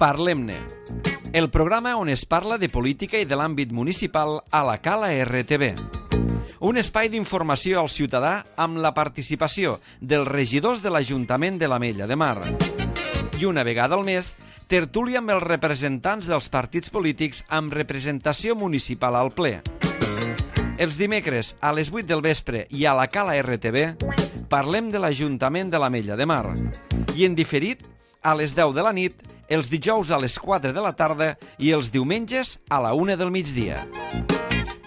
Parlem-ne, el programa on es parla de política i de l'àmbit municipal a la Cala RTV. Un espai d'informació al ciutadà amb la participació dels regidors de l'Ajuntament de l'Ametlla de Mar. I una vegada al mes, tertúlia amb els representants dels partits polítics amb representació municipal al ple. Els dimecres a les 8 del vespre i a la Cala RTV parlem de l'Ajuntament de l'Ametlla de Mar. I en diferit a les 10 de la nit, els dijous a les 4 de la tarda i els diumenges a la 1 del migdia.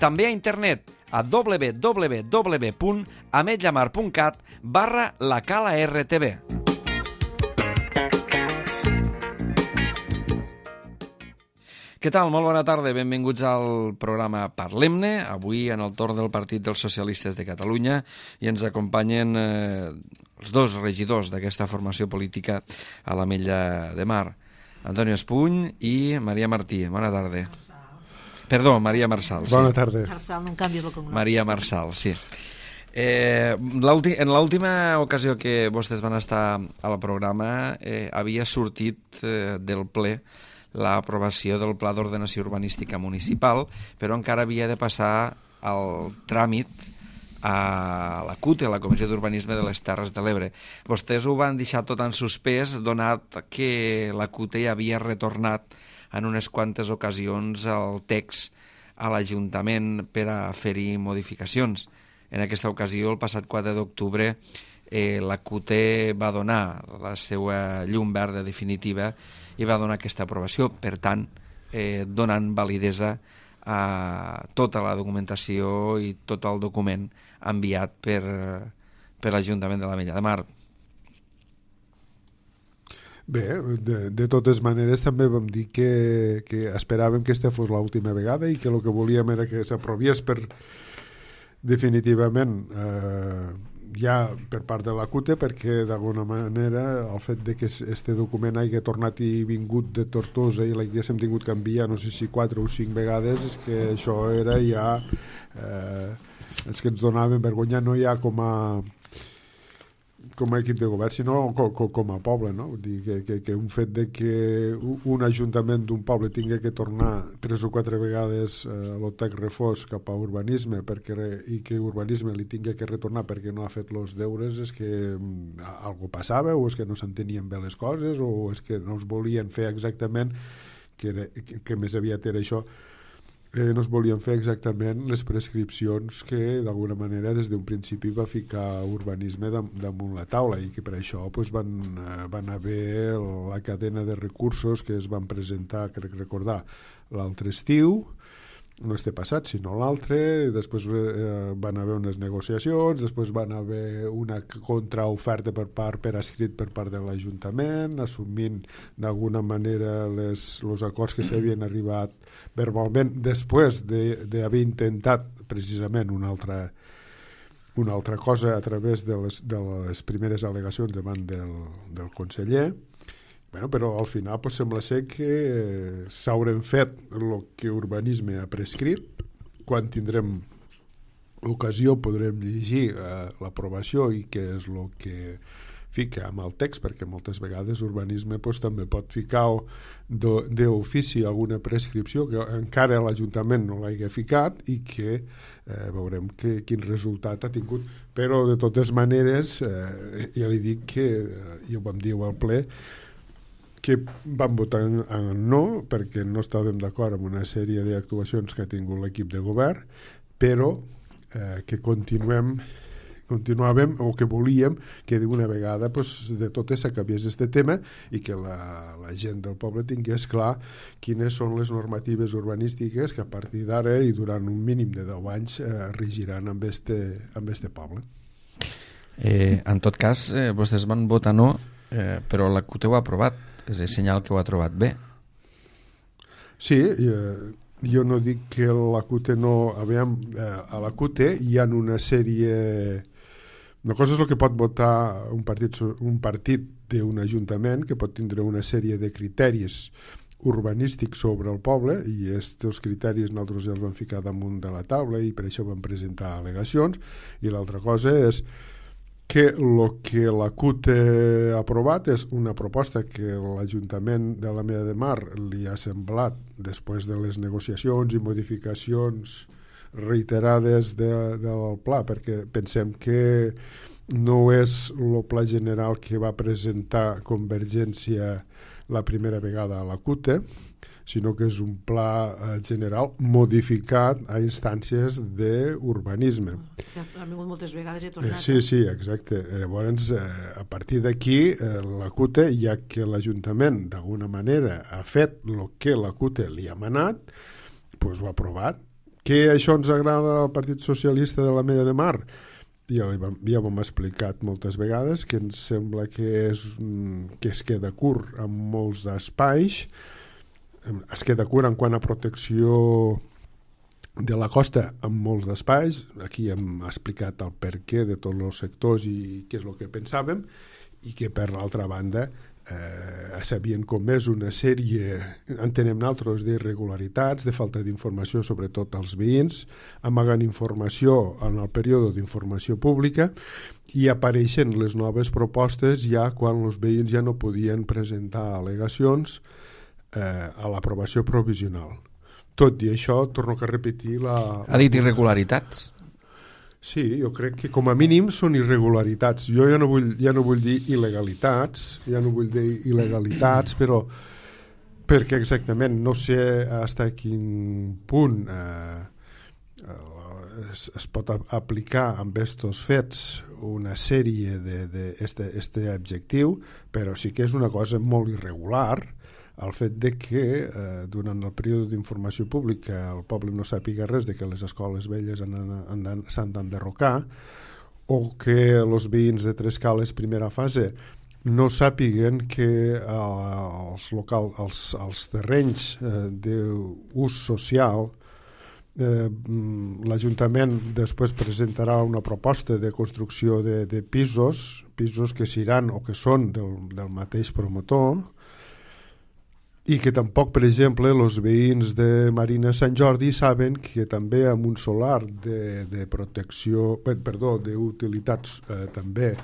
També a internet a www.ametllamar.cat/lacala-rtv. Què tal? Molt bona tarda. Benvinguts al programa Parlem-ne. Avui en el torn del Partit dels Socialistes de Catalunya i ens acompanyen els dos regidors d'aquesta formació política a l'Ametlla de Mar, Antonio Espuny i Maria Martí. Bona tarda. Perdó, Maria Marçal. Sí. Bona tarda. Marçal, no em canvies el cognom. Maria Marçal, sí. En l'última ocasió que vostès van estar al programa havia sortit del ple l'aprovació del Pla d'Ordenació Urbanística Municipal, però encara havia de passar el tràmit a la CUT, a la Comissió d'Urbanisme de les Terres de l'Ebre. Vostès ho van deixar tot en suspès, donat que la CUT ja havia retornat en unes quantes ocasions el text a l'Ajuntament per a fer-hi modificacions. En aquesta ocasió, el passat 4 d'octubre, la CUT va donar la seva llum verda definitiva i va donar aquesta aprovació, per tant, donant validesa a tota la documentació i tot el document enviat per l'Ajuntament de l'Ametlla de Mar. Bé, de totes maneres també vam dir que esperàvem que aquesta fos l'última vegada i que el que volíem era que s'aprovés definitivament ja per part de la CUT, perquè d'alguna manera el fet de que este document hagi tornat i vingut de Tortosa i l'haguéssim tingut que enviar no sé si 4 o 5 vegades, és que això era ja els que ens donaven vergonya, no ja com a equip de govern, sinó com a poble, no? Vull dir que un fet de que un ajuntament d'un poble tingui que tornar 3 o 4 vegades l'OTEC refós cap a urbanisme i que urbanisme li tingui que retornar perquè no ha fet els deures, és que algo passava, o és que no s'entenien bé les coses, o és que no es volien fer exactament, que més aviat era això, no es volien fer exactament les prescripcions que d'alguna manera des d'un principi va ficar urbanisme damunt la taula, i que per això van haver la cadena de recursos que es van presentar, crec recordar, l'altre estiu, no este passat sinó l'altre, després van haver unes negociacions, després van haver una contraoferta per escrit per part de l'Ajuntament, assumint d'alguna manera els acords que s'havien arribat verbalment després d'haver intentat precisament una altra cosa a través de les primeres al·legacions davant del conseller. Bueno, però al final sembla ser que s'haurem fet el que urbanisme ha prescrit. Quan tindrem ocasió podrem llegir l'aprovació i què és el que fica amb el text, perquè moltes vegades urbanisme també pot ficar d'ofici alguna prescripció que encara l'Ajuntament no l'hagi ficat i que veurem quin resultat ha tingut. Però de totes maneres ja li dic que ja ho vam dir al ple, que vam votar en no perquè no estàvem d'acord amb una sèrie d'actuacions que ha tingut l'equip de govern, però que continuàvem o que volíem que d'una vegada de totes s'acabés aquest tema i que la gent del poble tingués clar quines són les normatives urbanístiques que a partir d'ara i durant un mínim de 10 anys regiran amb este poble. En tot cas, vostès van votar no, però la CUT ho ha aprovat. És el senyal que ho ha trobat bé. Sí, jo no dic que la CUT no... A la CUT hi ha una sèrie... Una cosa és el que pot votar un partit d'un ajuntament, que pot tindre una sèrie de criteris urbanístics sobre el poble, i aquests criteris nosaltres els vam ficar damunt de la taula i per això vam presentar al·legacions, i l'altra cosa és que el que la CUT ha aprovat és una proposta que l'Ajuntament de l'Ametlla de Mar li ha semblat, després de les negociacions i modificacions reiterades del pla, perquè pensem que no és el pla general que va presentar Convergència la primera vegada a la CUT, sinó que és un pla general modificat a instàncies d'urbanisme. Ha vingut moltes vegades i ha tornat. Sí, exacte. Llavors, a partir d'aquí, la CUT, ja que l'Ajuntament d'alguna manera ha fet el que la CUT li ha manat, doncs ho ha aprovat. Que això ens agrada al Partit Socialista de l'Ametlla de Mar? Ja ho hem explicat moltes vegades, que ens sembla que es queda curt en molts espais, es queda curt en quant a protecció de la costa en molts espais. Aquí hem explicat el perquè de tots els sectors i què és el que pensàvem, i que per l'altra banda s'havien comès una sèrie, entenem nosaltres, d'irregularitats, de falta d'informació sobretot als veïns, amagant informació en el període d'informació pública, i apareixen les noves propostes ja quan els veïns ja no podien presentar al·legacions a l'aprovació provisional. Tot i això, torno a repetir Ha dit irregularitats? Sí, jo crec que com a mínim són irregularitats. Jo ja no vull dir il·legalitats, però perquè exactament no sé fins a quin punt es pot aplicar amb aquests fets una sèrie d'aquest objectiu, però sí que és una cosa molt irregular el fet de que durant el període d'informació pública el poble no sàpiga res de que les escoles velles s'han d'enderrocar, o que els veïns de Trescales primera fase no sàpiguen que els terrenys d'ús social, l'Ajuntament després presentarà una proposta de construcció de pisos que seran o que són del mateix promotor, i que tampoc, per exemple, els veïns de Marina Sant Jordi saben que també amb un solar de protecció, d'utilitat també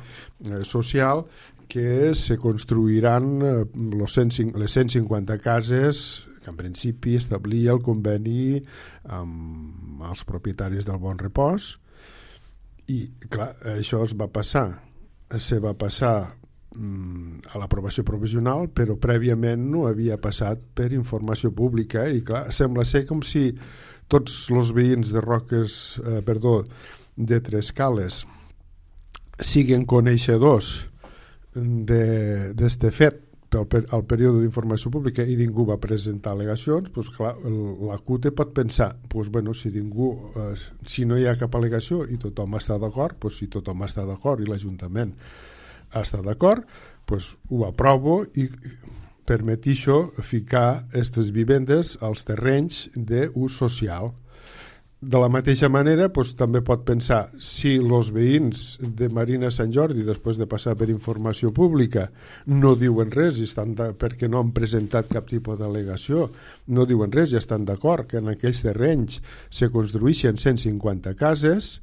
social, que se construiran les 150 cases que en principi establia el conveni amb els propietaris del Bon Repòs, i clar, això se va passar a l'aprovació provisional, però prèviament no havia passat per informació pública, i clar, sembla ser com si tots els veïns de Trescales siguin coneixedors d'este fet al període d'informació pública i ningú va presentar al·legacions. Doncs clar, la CUT pot pensar, si no hi ha cap al·legació i tothom està d'acord, si tothom està d'acord i l'Ajuntament està d'acord, doncs ho aprovo i permetixo ficar aquestes vivendes als terrenys d'ús social. De la mateixa manera, també pot pensar, si els veïns de Marina Sant Jordi, després de passar per informació pública, no diuen res perquè no han presentat cap tipus d'al·legació, no diuen res i estan d'acord que en aquells terrenys se construïxen 150 cases,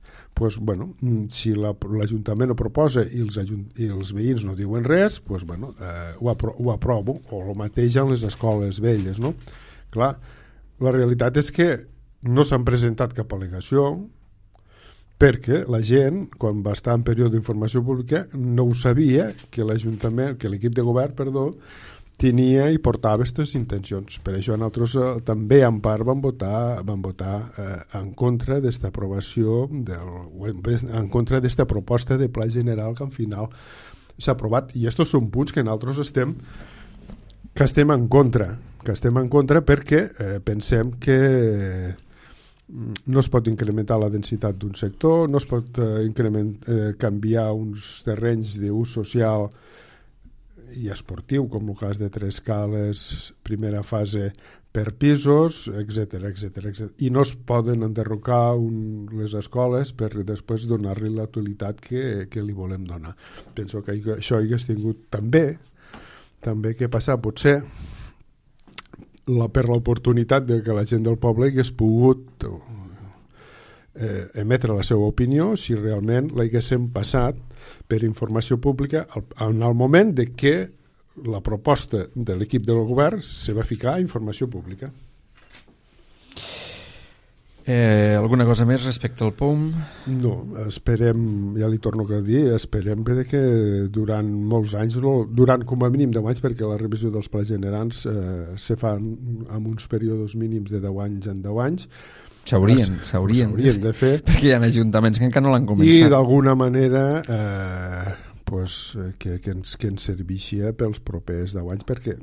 si l'Ajuntament ho proposa i els veïns no diuen res, ho aprovo, o el mateix en les escoles velles, no? Clar, la realitat és que no s'han presentat cap al·legació perquè la gent, quan va estar en període d'informació pública, no ho sabia que l'equip de govern, tenia i portava aquestes intencions. Per això nosaltres també en part vam votar en contra d'esta aprovació, en contra d'esta proposta de pla general que al final s'ha aprovat. I aquests són punts que nosaltres estem en contra perquè pensem que no es pot incrementar la densitat d'un sector, no es pot canviar uns terrenys d'ús social i esportiu, com el cas de Trescales, primera fase, per pisos, etc. I no es poden enderrocar les escoles per després donar-li la utilitat que li volem donar. Penso que això hagués tingut també que passar, potser, per l'oportunitat de que la gent del poble hagués pogut emetre la seva opinió si realment l'haguéssim passat per informació pública en el moment de que la proposta de l'equip del govern se va ficar a informació pública. Alguna cosa més respecte al POUM? No, esperem, ja li torno a dir, esperem que durant molts anys, durant com a mínim 10 anys, perquè la revisió dels plans generals se fan amb uns períodes mínims de 10 anys en 10 anys. S'haurien de fer. Perquè hi ha ajuntaments que encara no l'han començat. I d'alguna manera que ens servixia pels propers 10 anys, perquè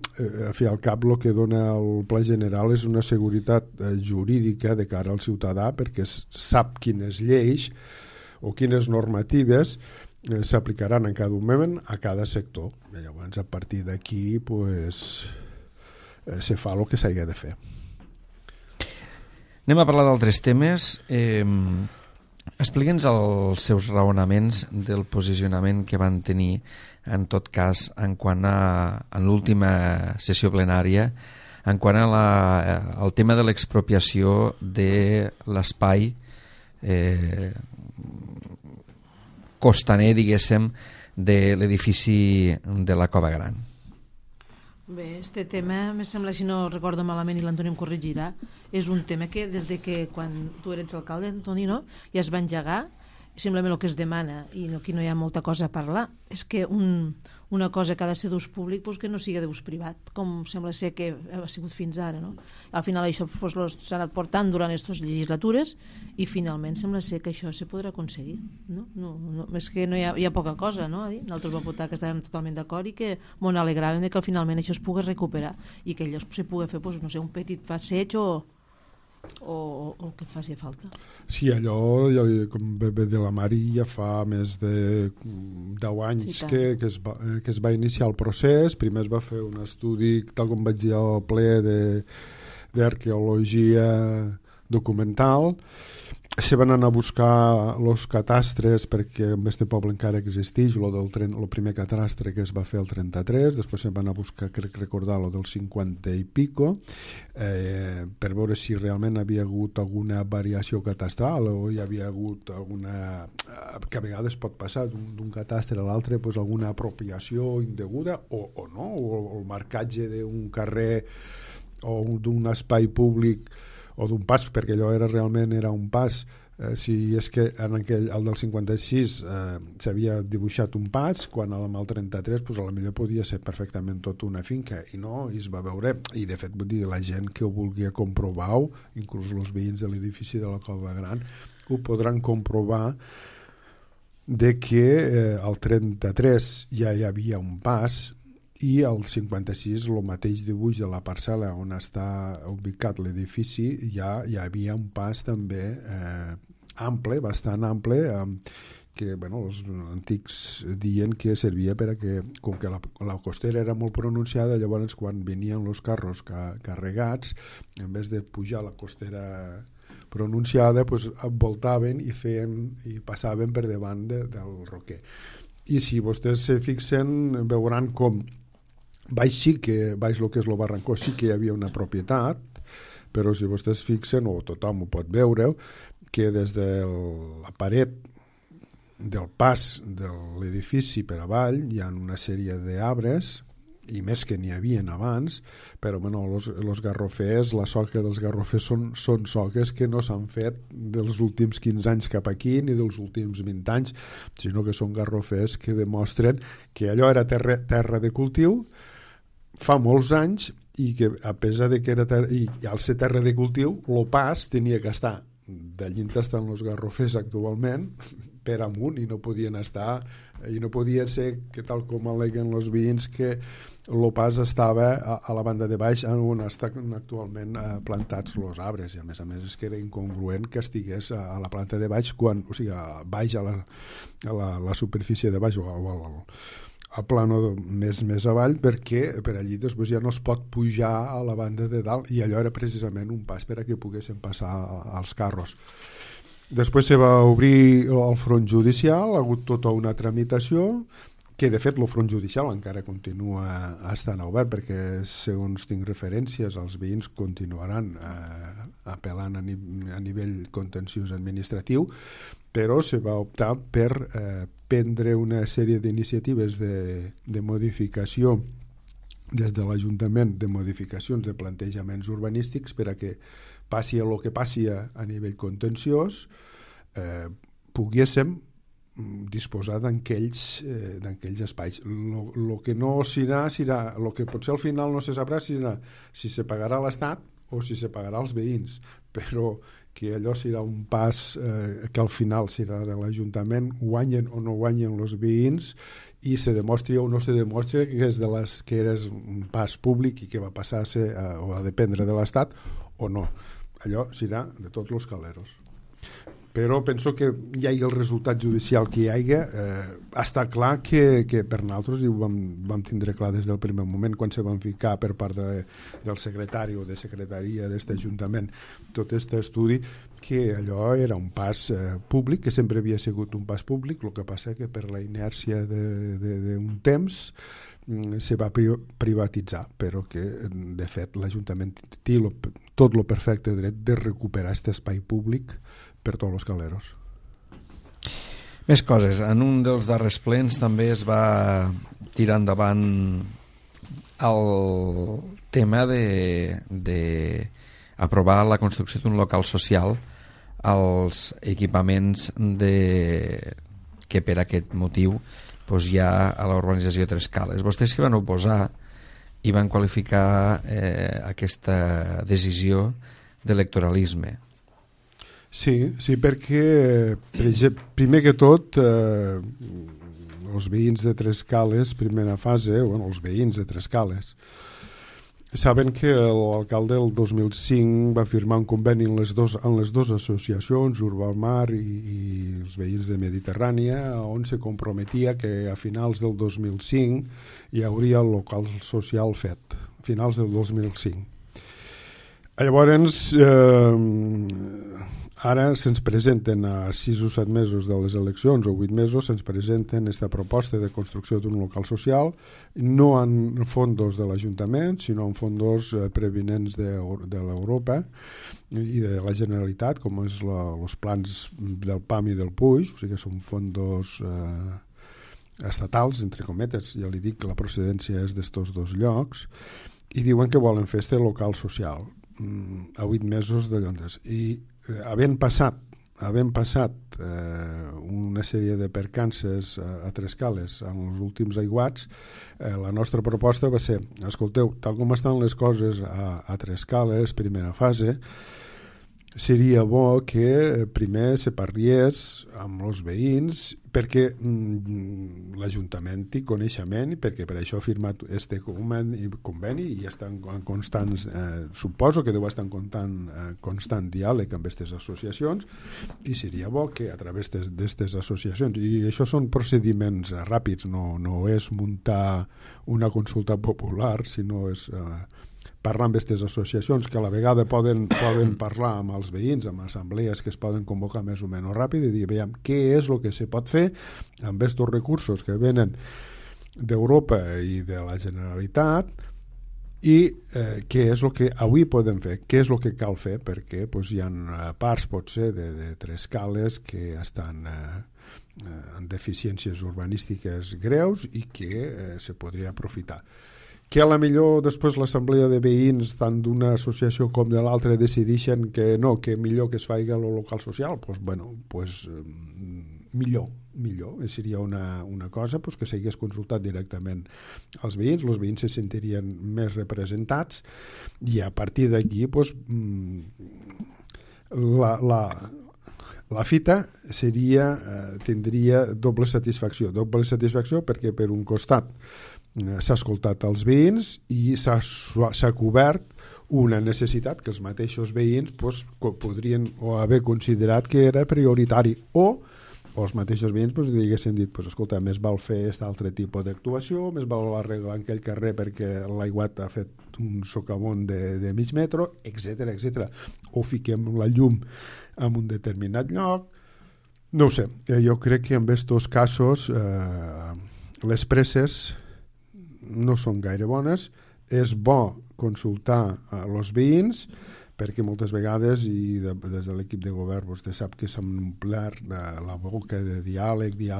a fi al cap el que dona el pla general és una seguretat jurídica de cara al ciutadà, perquè sap quines lleis o quines normatives s'aplicaran en cada moment a cada sector. I llavors, a partir d'aquí se fa el que s'hagi de fer. Anem a parlar d'altres temes. Explica'ns els seus raonaments del posicionament que van tenir, en tot cas, en l'última sessió plenària, en quant al tema de l'expropiació de l'espai costaner, diguéssim, de l'edifici de la Cova Gran. Bé, este tema, me sembla, si no recordo malament, i l'Antoni em corregirà, és un tema que des de que quan tu eres alcalde, Antoni, no? Ja es va engegar, simplement el que es demana, i aquí no hi ha molta cosa a parlar, és que una cosa que ha de ser d'ús públic que no sigui d'ús privat, com sembla ser que ha sigut fins ara, no? Al final això s'ha anat portant durant aquestes legislatures i finalment sembla ser que això se podrà aconseguir, no? És que no hi ha poca cosa, no? Nosaltres vam votar que estàvem totalment d'acord i que m'ho alegràvem que finalment això es pugui recuperar i que allò se pugui fer, no sé, un petit passeig o el que faci falta. Sí, allò, com bé de la Mari, ja fa més de 10 anys que es va iniciar el procés. Primer es va fer un estudi, tal com vaig dir al ple, d'arqueologia documental. Se van anar a buscar els catastres, perquè en este poble encara existeix el primer catastre que es va fer el 33, després se van anar a buscar, crec recordar, el del 50 i pico, per veure si realment havia hagut alguna variació catastral o hi havia hagut alguna, que a vegades pot passar d'un catastre a l'altre, alguna apropiació indeguda o no, o el marcatge d'un carrer o d'un espai públic o d'un pas, perquè allò realment era un pas. Si és que el del 56 s'havia dibuixat un pas, quan amb el 33 a la millor podia ser perfectament tot una finca, i no, i es va veure, i de fet vull dir, la gent que ho vulgui comprovar, inclús els veïns de l'edifici de la Cova Gran ho podran comprovar, de que al 33 ja hi havia un pas i al 56 el mateix dibuix de la parcel·la on està ubicat l'edifici ja hi havia un pas també ample, bastant ample, que els antics diuen que servia perquè, com que la costera era molt pronunciada, llavors quan venien els carros carregats, en vez de pujar la costera pronunciada, voltaven i passaven per davant del roquer. I si vostès se fixen, veuran com baix el que és el barrancó sí que hi havia una propietat, però si vostès fixen, o tothom ho pot veure, que des de la paret del pas de l'edifici per avall hi ha una sèrie d'arbres, i més que n'hi havia abans, però els garrofers, la soca dels garrofers són soques que no s'han fet dels últims 15 anys cap aquí ni dels últims 20 anys, sinó que són garrofers que demostren que allò era terra de cultiu fa molts anys i que a pesar de que era i al ser terra de cultiu el pas tenia que estar d'allí on estan els garrofers actualment per amunt i no podien estar i no podia ser que tal com aleguen els veïns que el pas estava a la banda de baix on estan actualment plantats els arbres i a més és que era incongruent que estigués a la planta de baix o sigui a baix a la superfície de baix o a plano més avall perquè per allí després ja no es pot pujar a la banda de dalt i allò era precisament un pas per a que poguessin passar els carros. Després se va obrir el front judicial, ha hagut tota una tramitació que de fet el front judicial encara continua estant obert perquè segons tinc referències els veïns continuaran apel·lant a nivell contenciós administratiu però se va optar per prendre una sèrie d'iniciatives de modificació des de l'Ajuntament, de modificacions de plantejaments urbanístics per a que passi el que passi a nivell contenciós, poguéssim disposar d'aquells espais. El que no serà, el que potser al final no se sabrà si se pagarà l'Estat o si se pagarà als veïns, però que allò serà un pas que al final serà de l'Ajuntament, guanyen o no guanyen els veïns, i se demostri o no se demostri que és un pas públic i que va passar a ser o a dependre de l'Estat o no. Allò serà de tots els caleros. Però penso que hi hagi el resultat judicial que hi hagi, està clar que per nosaltres, i ho vam tindre clar des del primer moment quan se van ficar per part del secretari o de secretaria d'aquest Ajuntament tot aquest estudi, que allò era un pas públic, que sempre havia sigut un pas públic, el que passa que per la inèrcia d'un temps se va privatitzar, però que de fet l'Ajuntament té tot el perfecte dret de recuperar aquest espai públic per tots els caleros. Més coses. En un dels darrers plens també es va tirar endavant el tema d'aprovar la construcció d'un local social als equipaments que per aquest motiu hi ha a l'urbanització Tres Cales. Vostès s'hi van oposar i van qualificar aquesta decisió d'electoralisme. Sí, perquè primer que tot els veïns de Tres Cales, primera fase, els veïns de Tres Cales, saben que l'alcalde el 2005 va firmar un conveni en les dues associacions, Urbamar i els veïns de Mediterrània, on se comprometia que a finals del 2005 hi hauria el local social fet, a finals del 2005. Llavors, ara se'ns presenten a 6 o 7 mesos de les eleccions o 8 mesos, se'ns presenten aquesta proposta de construcció d'un local social, no en fondos de l'Ajuntament, sinó en fondos previnents de l'Europa i de la Generalitat, com és els plans del PAM i del PUIG, o sigui que són fondos estatals, entre cometes, ja li dic que la procedència és d'estos dos llocs, i diuen que volen fer este local social a 8 mesos de Llondes. I havent passat una sèrie de percances a Tres Cales en els últims aiguats, la nostra proposta va ser, escolteu, tal com estan les coses a Tres Cales, primera fase, seria bo que primer se parliés amb els veïns perquè l'Ajuntament té coneixement i perquè per això ha firmat este conveni i està en constants, suposo que deu estar en constant diàleg amb aquestes associacions, i seria bo que a través d'aquestes associacions, i això són procediments ràpids, no és muntar una consulta popular, sinó és parlar amb aquestes associacions que a la vegada poden parlar amb els veïns, amb assemblees que es poden convocar més o menys ràpid i dir, veiem, què és el que se pot fer amb aquests recursos que venen d'Europa i de la Generalitat i què és el que avui podem fer, què és el que cal fer, perquè hi ha parts potser de Tres Cales que estan en deficiències urbanístiques greus i que se podria aprofitar. Que a la millor després l'assemblea de veïns tant d'una associació com de l'altra decideixen que no, que millor que es faci el local social, millor, seria una cosa que s'hagués consultat directament als veïns, els veïns se sentirien més representats i a partir d'aquí la fita tindria doble satisfacció perquè per un costat s'ha escoltat els veïns i s'ha cobert una necessitat que els mateixos veïns podrien haver considerat que era prioritari o els mateixos veïns haguessin dit escolta, més val fer aquest altre tipus d'actuació, més val arreglar aquell carrer perquè l'aiguat ha fet un socavón de mig metro, etc. O fiquem la llum en un determinat lloc. No ho sé, jo crec que en aquests casos les presses no són gaire bones. És bo consultar els veïns perquè moltes vegades, i des de l'equip de govern vostè sap que s'han omplert la boca de diàleg, i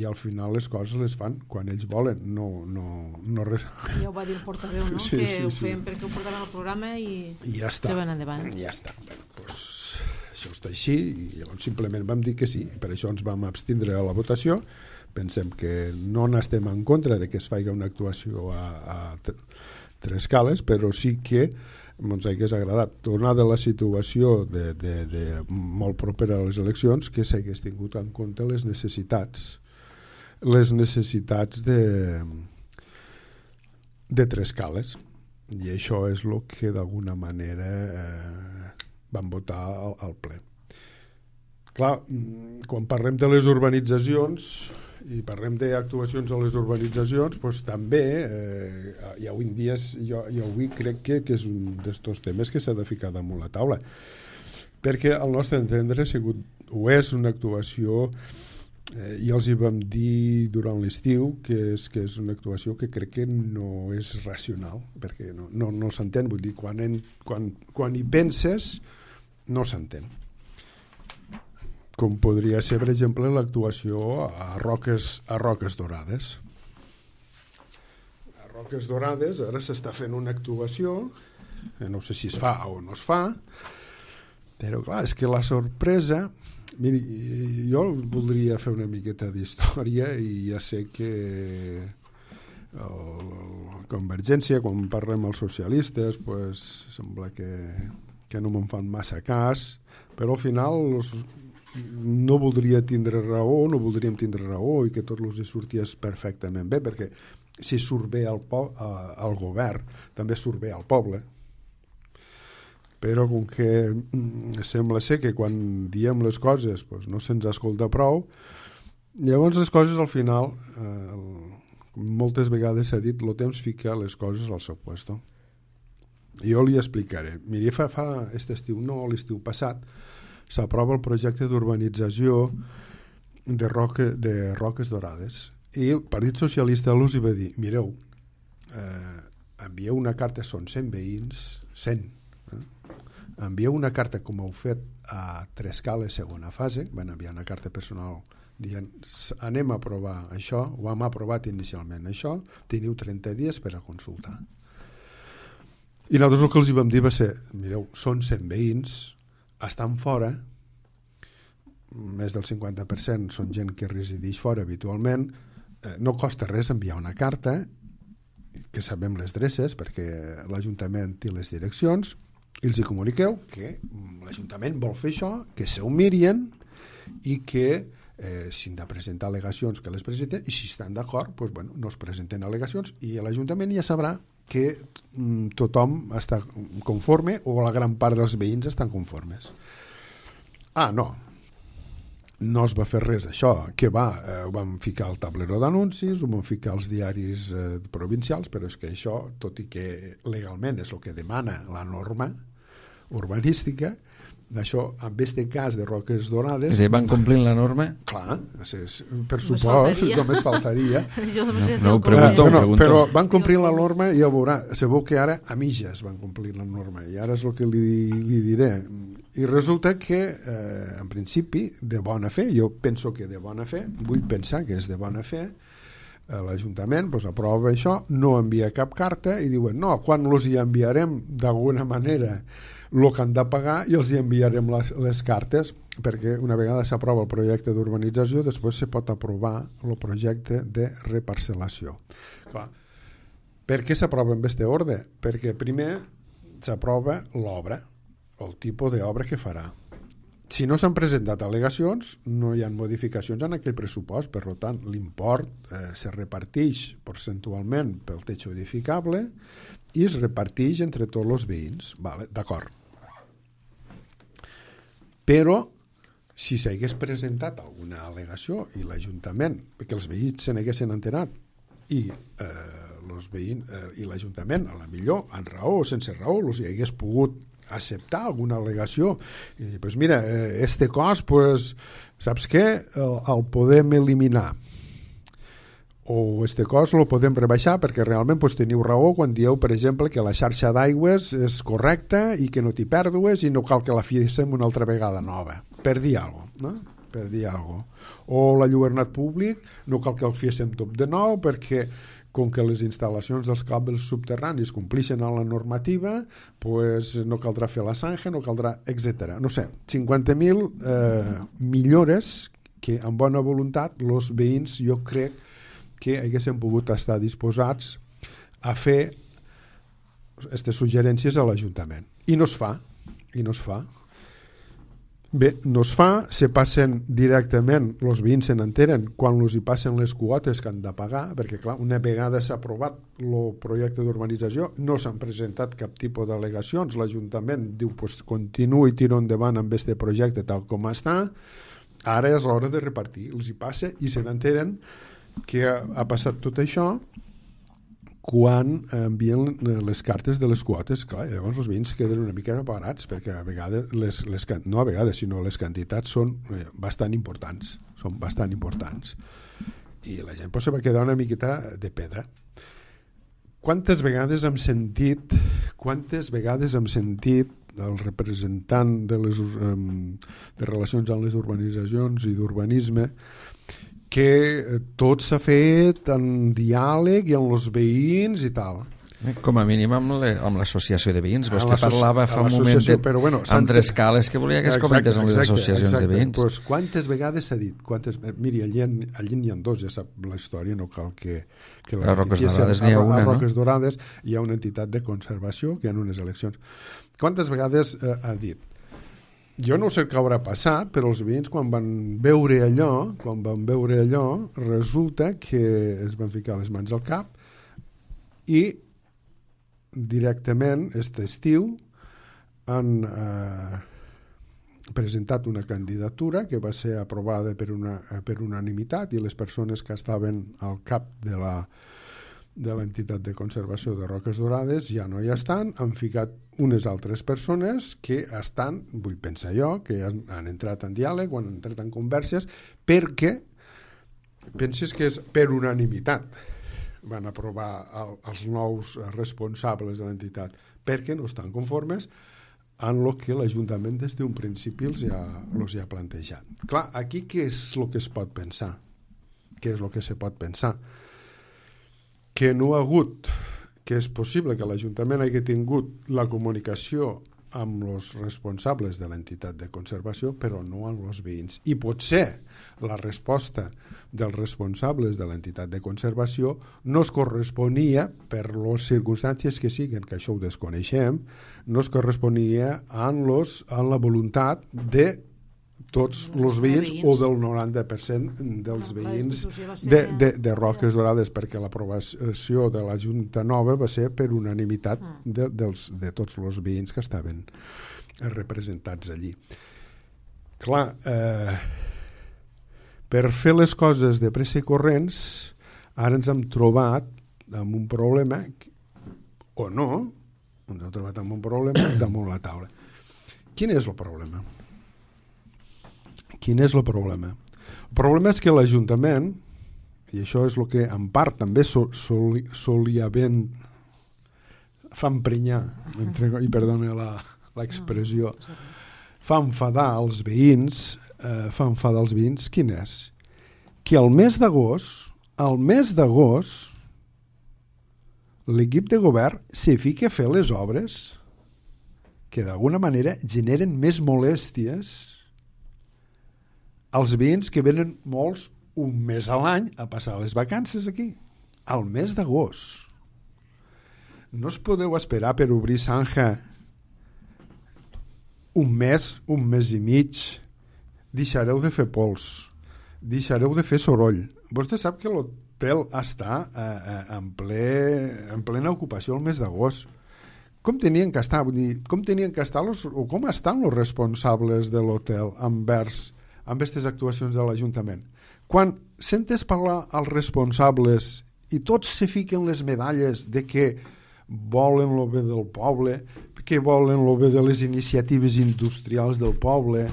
al final les coses les fan quan ells volen, no res. Ja ho va dir el portaveu, no? Sí, que ho sí. feien perquè ho portaven al programa i ja està. que van endavant. Ja està. Bueno, doncs, això està així, i llavors simplement vam dir que sí, per això ens vam abstindre a la votació. Pensem que no n'estem en contra de que es faci una actuació a Tres Cales, però sí que ens hagués agradat, donada la situació de molt propera a les eleccions, que s'hagués tingut en compte les necessitats de Tres Cales, i això és el que d'alguna manera van votar al ple. Clar, quan parlem de les urbanitzacions i parlem d'actuacions a les urbanitzacions, doncs també i avui en dia jo avui crec que és un d'estos temes que s'ha de ficar damunt la taula, perquè al nostre entendre ho és una actuació, i els hi vam dir durant l'estiu que és una actuació que crec que no és racional, perquè no s'entén, vull dir, quan hi penses no s'entén, com podria ser, per exemple, l'actuació a Roques Dorades. A Roques Dorades ara s'està fent una actuació, no sé si es fa o no es fa, però clar, és que la sorpresa... Miri, jo voldria fer una miqueta d'història, i ja sé que Convergència, quan parlem els socialistes, pues, sembla que no me'n fan massa cas, però al final no voldríem tindre raó i que tot els sorties perfectament bé, perquè si surt bé el govern, també surt bé al poble. Però com que sembla ser que quan diem les coses pues, no se'ns escolta prou, llavors les coses al final, moltes vegades s'ha dit, el temps fica les coses al seu puesto. Jo li explicaré. Miri, fa l'estiu passat, s'aprova el projecte d'urbanització de Roques Dorades, i el Partit Socialista els va dir, mireu, envieu una carta, són 100 veïns, 100, envieu una carta com heu fet a Tres Cales segona fase, van enviar una carta personal dient anem a aprovar això, ho hem aprovat inicialment això, teniu 30 dies per a consultar. I nosaltres el que els vam dir va ser, mireu, són 100 veïns, estan fora, més del 50% són gent que resideix fora habitualment, no costa res enviar una carta, que sabem les adreces perquè l'Ajuntament té les direccions, i els hi comuniqueu que l'Ajuntament vol fer això, que s'ho mirien i que si han de presentar al·legacions que les presenten, i si estan d'acord doncs, bueno, no es presenten al·legacions i l'Ajuntament ja sabrà que tothom està conforme o la gran part dels veïns estan conformes. No es va fer res d'això, que ho vam ficar al tablero d'anuncis, ho vam ficar als diaris provincials, però és que això, tot i que legalment és el que demana la norma urbanística, d'això, en aquest cas de Roques Dorades... És a dir, van complint la norma? Clar, per supost, només faltaria. No, ho pregunto. Però van complir la norma i ja veurà, sabeu que ara a mitges van complir la norma, i ara és el que li diré. I resulta que, en principi, de bona fe, jo penso que de bona fe, vull pensar que és de bona fe, l'Ajuntament aprova això, no envia cap carta i diuen, no, quan els hi enviarem d'alguna manera el que han de pagar i els hi enviarem les cartes, perquè una vegada s'aprova el projecte d'urbanització, després se pot aprovar el projecte de reparcel·lació. Clar, per què s'aprova en aquest ordre? Perquè primer s'aprova l'obra, el tipus d'obra que farà. Si no s'han presentat al·legacions, no hi ha modificacions en aquell pressupost, per tant, l'import se reparteix percentualment pel techo edificable i es reparteix entre tots els veïns. Vale, d'acord. Però, si s'hagués presentat alguna al·legació i l'Ajuntament, que els veïns se n'haguessin enterat i l'Ajuntament, a la millor, en raó o sense raó, els hi hagués pogut acceptar alguna al·legació i dir, pues mira, cost, pues, saps què? El podem eliminar. o este cost lo podem rebaixar perquè realment teniu raó quan dieu, per exemple, que la xarxa d'aigües és correcta i que no t'hi pèrdues i no cal que la fiéssim una altra vegada nova, per dir alguna cosa, no? Per dir alguna cosa. O l'enlluernat públic no cal que el fiéssim tot de nou perquè com que les instal·lacions dels cables subterranis complixen amb la normativa, pues no caldrà fer la zanja, no caldrà, etc. No sé, 50.000 millores que amb bona voluntat els veïns jo crec que haguessin pogut estar disposats a fer aquestes suggerències a l'Ajuntament. I no es fa. Bé, no es fa, se passen directament, els veïns se n'enteren quan els hi passen les quotes que han de pagar, perquè clar, una vegada s'ha aprovat el projecte d'urbanització, no s'han presentat cap tipus d'al·legacions, l'Ajuntament diu, pues, continuï, tiro endavant amb aquest projecte tal com està, ara és l'hora de repartir, els hi passa i se n'enteren que ha passat tot això quan envien les cartes de les quotes. Clar, llavors els veïns queden una mica parats perquè a vegades, no a vegades, sinó les quantitats són bastant importants. I la gent se va quedar una miqueta de pedra. Quantes vegades hem sentit el representant de relacions amb les urbanitzacions i d'urbanisme que tot s'ha fet en diàleg i amb els veïns i tal. Com a mínim amb l'associació de veïns. Vostè parlava fa un moment amb tres cales que volia que es comentés amb les associacions de veïns. Pues, quantes vegades s'ha dit? Miri, allí n'hi ha dos, ja sap la història, no cal que a Roques Dorades n'hi ha una, no? A Roques Dorades hi ha una entitat de conservació que hi ha unes eleccions. Quantes vegades ha dit? Jo no sé què haurà passat, però els veïns quan van veure allò, resulta que es van ficar les mans al cap i directament aquest estiu han presentat una candidatura que va ser aprovada per unanimitat i les persones que estaven al cap de l'entitat de conservació de Roques Dorades ja no hi estan, han ficat unes altres persones que estan, vull pensar jo, que han entrat en diàleg o han entrat en converses perquè pensis que és per unanimitat van aprovar els nous responsables de l'entitat perquè no estan conformes amb el que l'Ajuntament des d'un principi els ha plantejat. Clar, aquí què és el que es pot pensar? Què és el que se pot pensar? Que no ha hagut, que és possible que l'Ajuntament hagi tingut la comunicació amb els responsables de l'entitat de conservació, però no amb els veïns. I potser la resposta dels responsables de l'entitat de conservació no es corresponia, per les circumstàncies que siguen, que això ho desconeixem, no es corresponia amb la voluntat de tots els veïns o del 90% dels veïns de Roques Dorades, perquè l'aprovació de la Junta Nova va ser per unanimitat de tots els veïns que estaven representats allí. Clar, per fer les coses de pressa i corrents, ara ens hem trobat amb un problema, o no, ens hem trobat amb un problema damunt la taula. Quin és el problema? Quin és el problema? El problema és que l'Ajuntament, i això és el que en part també solia ben fa emprenyar, i perdona l'expressió, fa enfadar els veïns, quin és? Que al mes d'agost, l'equip de govern se fica a fer les obres que d'alguna manera generen més molèsties als veïns que venen molts un mes a l'any a passar les vacances aquí, al mes d'agost. No us podeu esperar per obrir zanja un mes i mig, deixareu de fer pols, deixareu de fer soroll. Vostè sap que l'hotel està en plena ocupació el mes d'agost. Com tenien que estar? O com estan els responsables de l'hotel envers amb aquestes actuacions de l'Ajuntament? Quan sentes parlar als responsables i tots se fiquen les medalles de que volen el bé del poble, que volen el bé de les iniciatives industrials del poble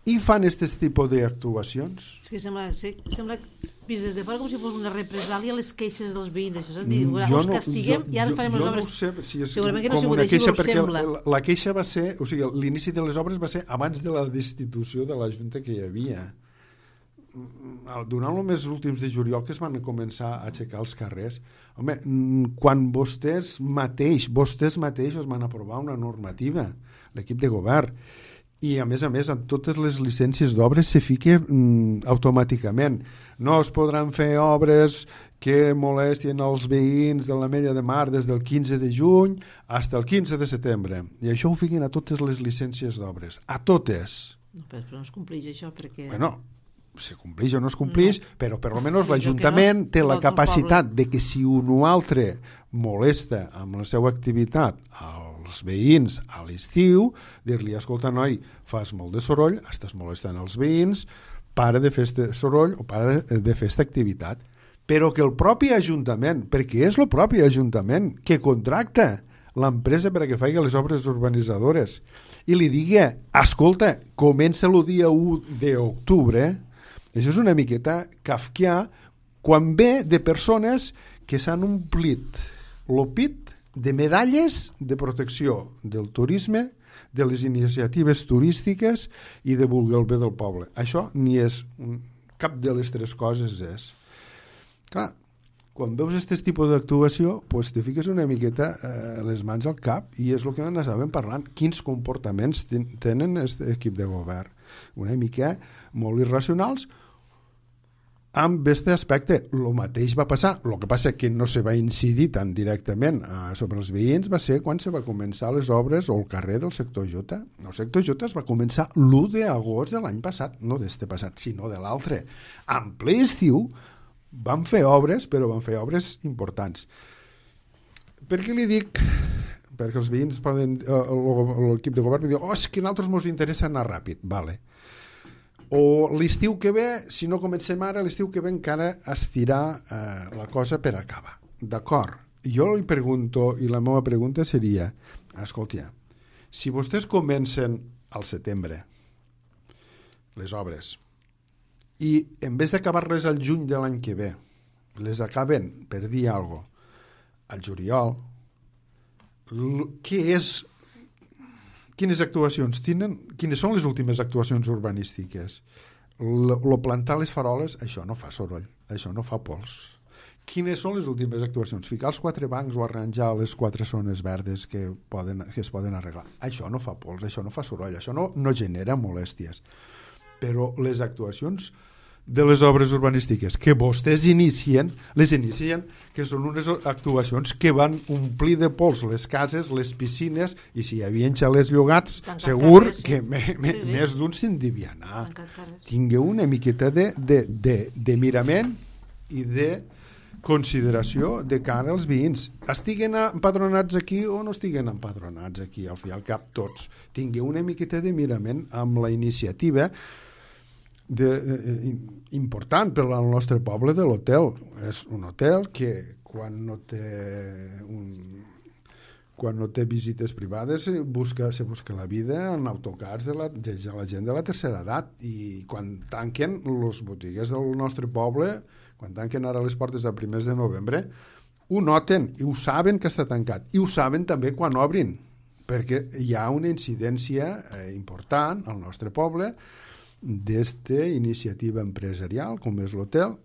i fan aquest tipus d'actuacions? És que sembla vist des de fora com si fos una represàlia a les queixes dels veïns, això, és a dir, us castiguem i ara farem les obres. Jo no sé si és segurament que no ha com sigut una així, queixa, però us perquè sembla. la queixa va ser, o sigui, l'inici de les obres va ser abans de la destitució de la Junta que hi havia. Durant els mesos últims de juliol que es van començar a aixecar els carrers, home, quan vostès mateixos van aprovar una normativa, l'equip de govern, i a més, en totes les llicències d'obres se fica automàticament. No es podran fer obres que molestien els veïns de l'Ametlla de Mar des del 15 de juny fins al 15 de setembre. I això ho fiquen a totes les llicències d'obres. A totes. No, però no es compleix això perquè... Bueno, se compleix o no es compleix, però per almenys l'Ajuntament té la capacitat de que si un o altre molesta amb la seva activitat als veïns a l'estiu, dir-li, escolta, noi, fas molt de soroll, estàs molestant els veïns, para de fer este soroll o para de fer esta activitat. Però que el propi Ajuntament, perquè és el propi Ajuntament que contracta l'empresa per a que faci les obres urbanitzadores i li digui, escolta, comença el dia 1 d'octubre, això és una miqueta kafkià quan ve de persones que s'han omplit el pit de medalles de protecció del turisme, de les iniciatives turístiques i de voler el bé del poble. Això ni és cap de les tres coses és. Clar, quan veus aquest tipus d'actuació, pues te fiques una miqueta les mans al cap i és el que n'estàvem parlant. Quins comportaments tenen aquest equip de govern? Una mica molt irracionals. Amb aquest aspecte, el mateix va passar, el que passa que no se va incidir tan directament sobre els veïns va ser quan se va començar les obres o el carrer del sector J. El sector J es va començar l'1 d'agost de l'any passat, no d'este passat, sinó de l'altre. En ple estiu van fer obres, però van fer obres importants. Per què li dic? Perquè els veïns poden, l'equip de govern diu, és que a nosaltres ens interessa anar ràpid, vale. O l'estiu que ve, si no comencem ara, l'estiu que ve encara estirar la cosa per acabar. D'acord. Jo li pregunto, i la meva pregunta seria, escolta, si vostès comencen al setembre les obres i en vez d'acabar-les al juny de l'any que ve, les acaben, per dir alguna cosa, al juliol, què és... Quines actuacions tenen? Quines són les últimes actuacions urbanístiques? Lo plantar les faroles, això no fa soroll, això no fa pols. Quines són les últimes actuacions? Ficar els 4 bancs o arranjar les 4 zones verdes que es poden arreglar. Això no fa pols, això no fa soroll, això no genera molèsties. Però les actuacions de les obres urbanístiques que vostès inicien, que són unes actuacions que van omplir de pols les cases, les piscines, i si hi havia xalets llogats, segur que més d'un se'n devia anar. Tingueu una miqueta de mirament i de consideració de cara als veïns. Estiguen empadronats aquí o no estiguen empadronats aquí, al fi i al cap tots. Tingueu una miqueta de mirament amb la iniciativa important per al nostre poble de l'hotel. És un hotel que quan no té visites privades se busca la vida en autocars de la gent de la tercera edat, i quan tanquen les botigues del nostre poble, quan tanquen ara les portes a primers de novembre, ho noten i ho saben que està tancat, i ho saben també quan obrin, perquè hi ha una incidència important al nostre poble d'esta iniciativa empresarial com és l'hotel,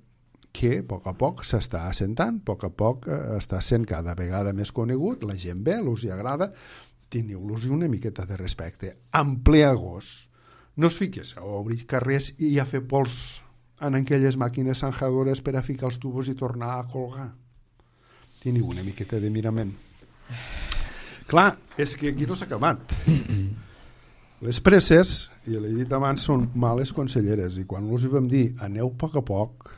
que a poc s'està assentant, a poc està sent cada vegada més conegut, la gent ve, us hi agrada, teniu-los una miqueta de respecte. En ple agost, no es fiques a obrir carrers i a fer pols en aquelles màquines zanjadores per a ficar els tubos i tornar a colgar. Teniu una miqueta de mirament. Clar, és que aquí no s'ha acabat. Les presses, i l'he dit abans, són males conselleres, i quan els hi vam dir aneu a poc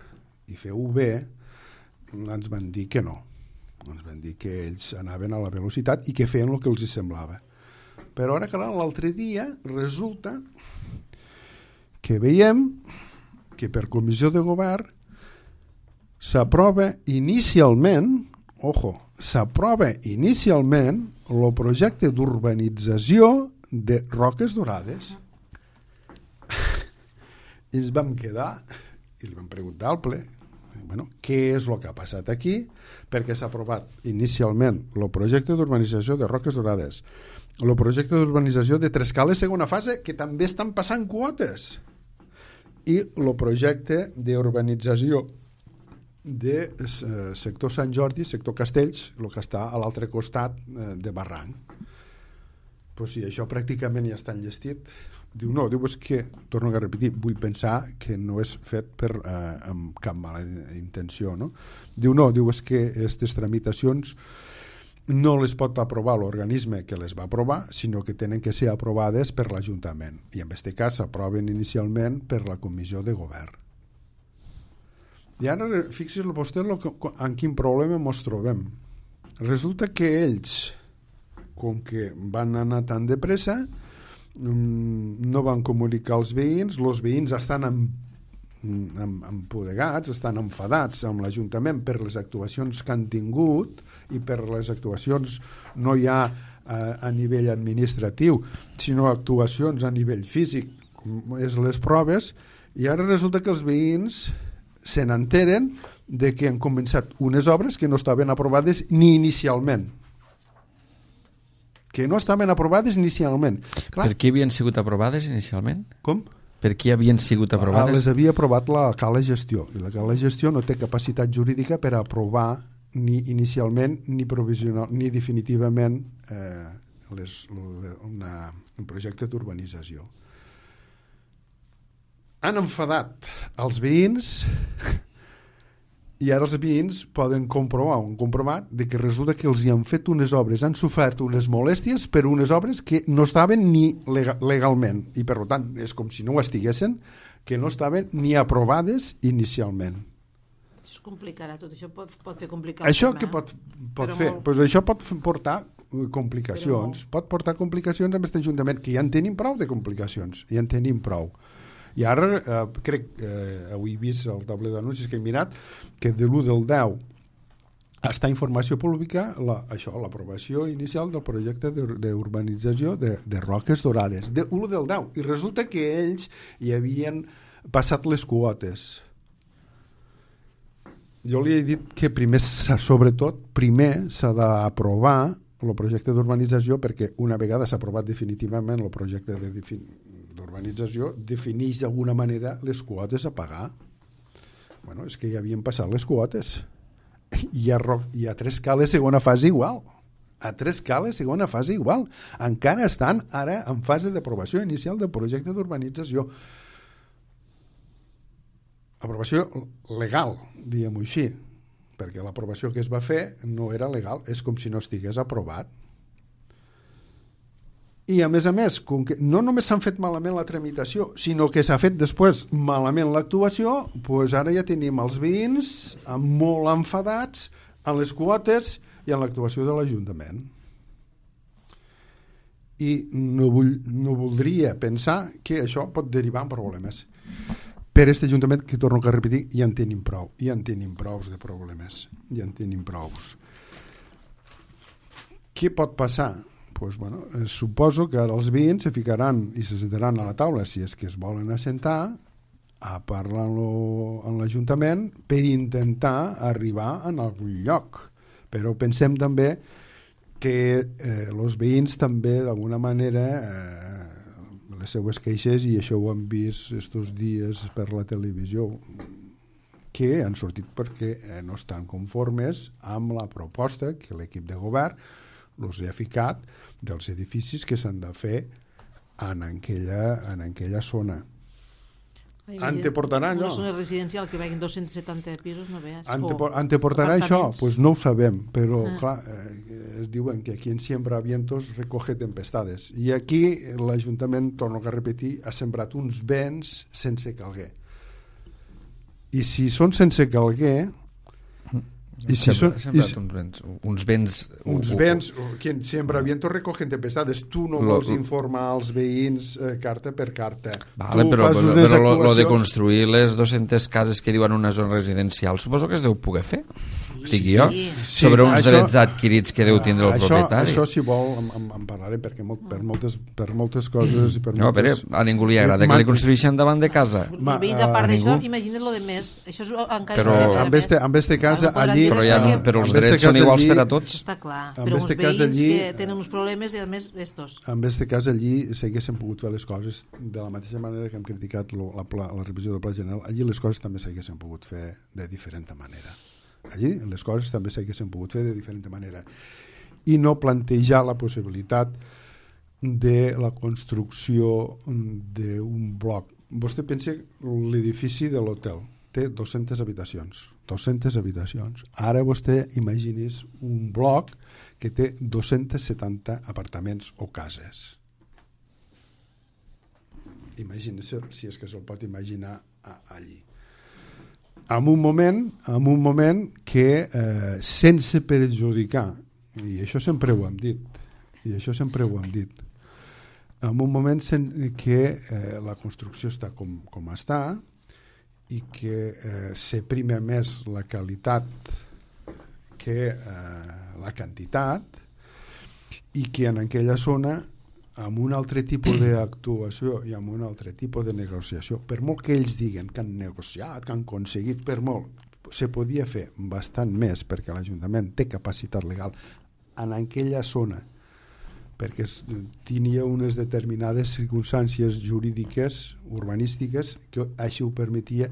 i feu bé, ens van dir que no. Ens van dir que ells anaven a la velocitat i que feien el que els hi semblava. Però ara, clar, l'altre dia resulta que veiem que per comissió de govern s'aprova inicialment el projecte d'urbanització de Roques Dorades. I ens vam quedar i li vam preguntar al ple, Bueno, què és el que ha passat aquí? Perquè s'ha aprovat inicialment el projecte d'urbanització de Roques Dorades, el projecte d'urbanització de Trescales segona fase, que també estan passant quotes, i el projecte d'urbanització de sector Sant Jordi, sector Castells, el que està a l'altre costat de Barranc. Pues sí, això pràcticament ja està enllestit. Diu, no, diu, és que, torno a repetir, vull pensar que no és fet amb cap mala intenció, no? Diu, no, diu, és que aquestes tramitacions no les pot aprovar l'organisme que les va aprovar, sinó que tenen que ser aprovades per l'Ajuntament. I en aquest cas s'aproven inicialment per la Comissió de Govern. I ara, fixi's vostè en quin problema ens trobem. Resulta que ells, com que van anar tan de pressa, no van comunicar als veïns, els veïns estan empodegats, estan enfadats amb l'Ajuntament per les actuacions que han tingut, i per les actuacions no hi ha a nivell administratiu, sinó actuacions a nivell físic, com és les proves, i ara resulta que els veïns se n'enteren de que han començat unes obres que no estaven aprovades ni inicialment. Que no estaven aprovades inicialment. Clar. Per què havien sigut aprovades inicialment? Com? Per què havien sigut aprovades? Les havia aprovat la Cala Gestió, i la Cala Gestió no té capacitat jurídica per aprovar ni inicialment ni provisional ni definitivament un projecte d'urbanització. Han enfadat els veïns i ara els veïns poden comprovar, han comprovat de que resulta que els hi han fet unes obres, han sofert unes molèsties per unes obres que no estaven ni legalment, i per tant és com si no ho estiguessin, que no estaven ni aprovades inicialment. Això complicarà tot, això pot fer complicar. Això què pot fer? Pues això pot portar complicacions, pot portar complicacions amb aquest Ajuntament, que ja en tenim prou de complicacions, ja en tenim prou. I ara crec, avui he vist el tauler d'anuncis que he mirat, que de l'1 del 10 està informació pública l'aprovació inicial del projecte d'urbanització de Roques Dorades, de l'1 del 10, i resulta que ells hi havien passat les quotes. Jo li he dit que sobretot primer s'ha d'aprovar el projecte d'urbanització, perquè una vegada s'ha aprovat definitivament el projecte d'urbanització, defineix d'alguna manera les quotes a pagar. Bueno, és que ja havien passat les quotes. I a Trescales segona fase igual. A Trescales segona fase igual. Encara estan ara en fase d'aprovació inicial del projecte d'urbanització. Aprovació legal, diguem-ho així, perquè l'aprovació que es va fer no era legal, és com si no estigués aprovat. I a més, com que no només s'han fet malament la tramitació, sinó que s'ha fet després malament l'actuació, doncs ara ja tenim els veïns molt enfadats en les quotes i en l'actuació de l'Ajuntament. I no voldria pensar que això pot derivar en problemes. Per aquest Ajuntament, que torno a repetir, ja en tenim prou, ja en tenim prous de problemes, ja en tenim prous. Què pot passar? Pues, bueno, suposo que ara els veïns se ficaran i se sentaran a la taula, si és que es volen assentar, a parlar amb l'Ajuntament per intentar arribar en algun lloc. Però pensem també que els veïns també d'alguna manera les seues queixes, i això ho han vist estos dies per la televisió, que han sortit perquè no estan conformes amb la proposta que l'equip de govern els ha ficat dels edificis que s'han de fer en aquella zona. Anteportarà allò? Una zona residencial que vagin 270 pisos, no veus? Anteportarà això? Pues no ho sabem, però clar, es diuen que aquí en siembra vientos recoge tempestades, i aquí l'Ajuntament, torno a repetir, ha sembrat uns vents sense calguer. I si són sense calguer, I si són uns béns quien siembra viento recoge tempestades. Tu no vols informar als veïns carta per carta. Vale, però lo de construir les 200 cases que diuen una zona residencial suposo que es deu poder fer, dic jo, sobre uns drets adquirits que deu tindre el propietari. Això, si vol, en parlarem, perquè per moltes coses i per no, però a ningú li agrada que li construïssin davant de casa. Els veïns, a part d'això, imagina't lo de més. Això és encara en este cas, allí... Però els drets són iguals per a tots. Està clar, però uns veïns que tenen uns problemes i a més estos. En aquest cas allí s'haguessin pogut fer les coses de la mateixa manera que hem criticat la revisió del Pla General. Allí les coses també s'haguessin pogut fer de diferent manera. Allí les coses també s'haguessin pogut fer de diferent manera. I no plantejar la possibilitat de la construcció d'un bloc. Vostè pensa l'edifici de l'hotel té 200 habitacions. 200 habitacions. Ara vostè imagini's un bloc que té 270 apartaments o cases. Imagini's si és que se'l pot imaginar allí. En un moment que sense perjudicar, i això sempre ho hem dit, en un moment que la construcció està com està, i que s'aprima més la qualitat que la quantitat, i que en aquella zona, amb un altre tipus d'actuació i amb un altre tipus de negociació, per molt que ells diguen que han negociat, que han aconseguit, per molt, se podia fer bastant més, perquè l'Ajuntament té capacitat legal en aquella zona, perquè tenia unes determinades circumstàncies jurídiques, urbanístiques, que així ho permetia,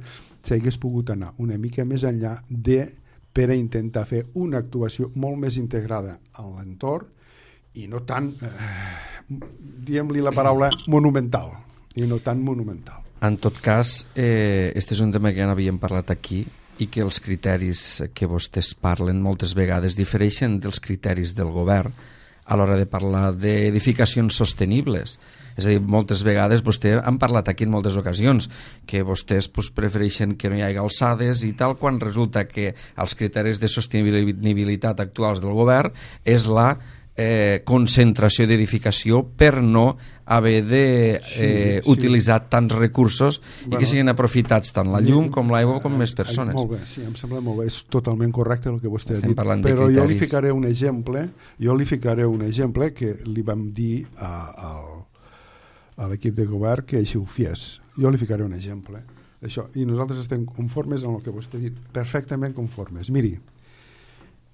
s'hagués pogut anar una mica més enllà per a intentar fer una actuació molt més integrada a l'entorn i no tan, diguem-li la paraula, monumental. I no tan monumental. En tot cas, este és un tema que ja n'havíem parlat aquí i que els criteris que vostès parlen moltes vegades difereixen dels criteris del govern a l'hora de parlar d'edificacions sostenibles. És a dir, moltes vegades vostè han parlat aquí en moltes ocasions que vostès prefereixen que no hi hagi alçades i tal, quan resulta que els criteris de sostenibilitat actuals del govern és la concentració d'edificació per no haver d'utilitzar tants recursos i que siguin aprofitats tant la llum com l'aigua com més persones. Molt bé, sí, em sembla molt bé, és totalment correcte el que vostè ha dit, però jo li ficaré un exemple que li vam dir a l'equip de govern que així ho fes. Jo li ficaré un exemple d'això, i nosaltres estem conformes amb el que vostè ha dit, perfectament conformes. Miri,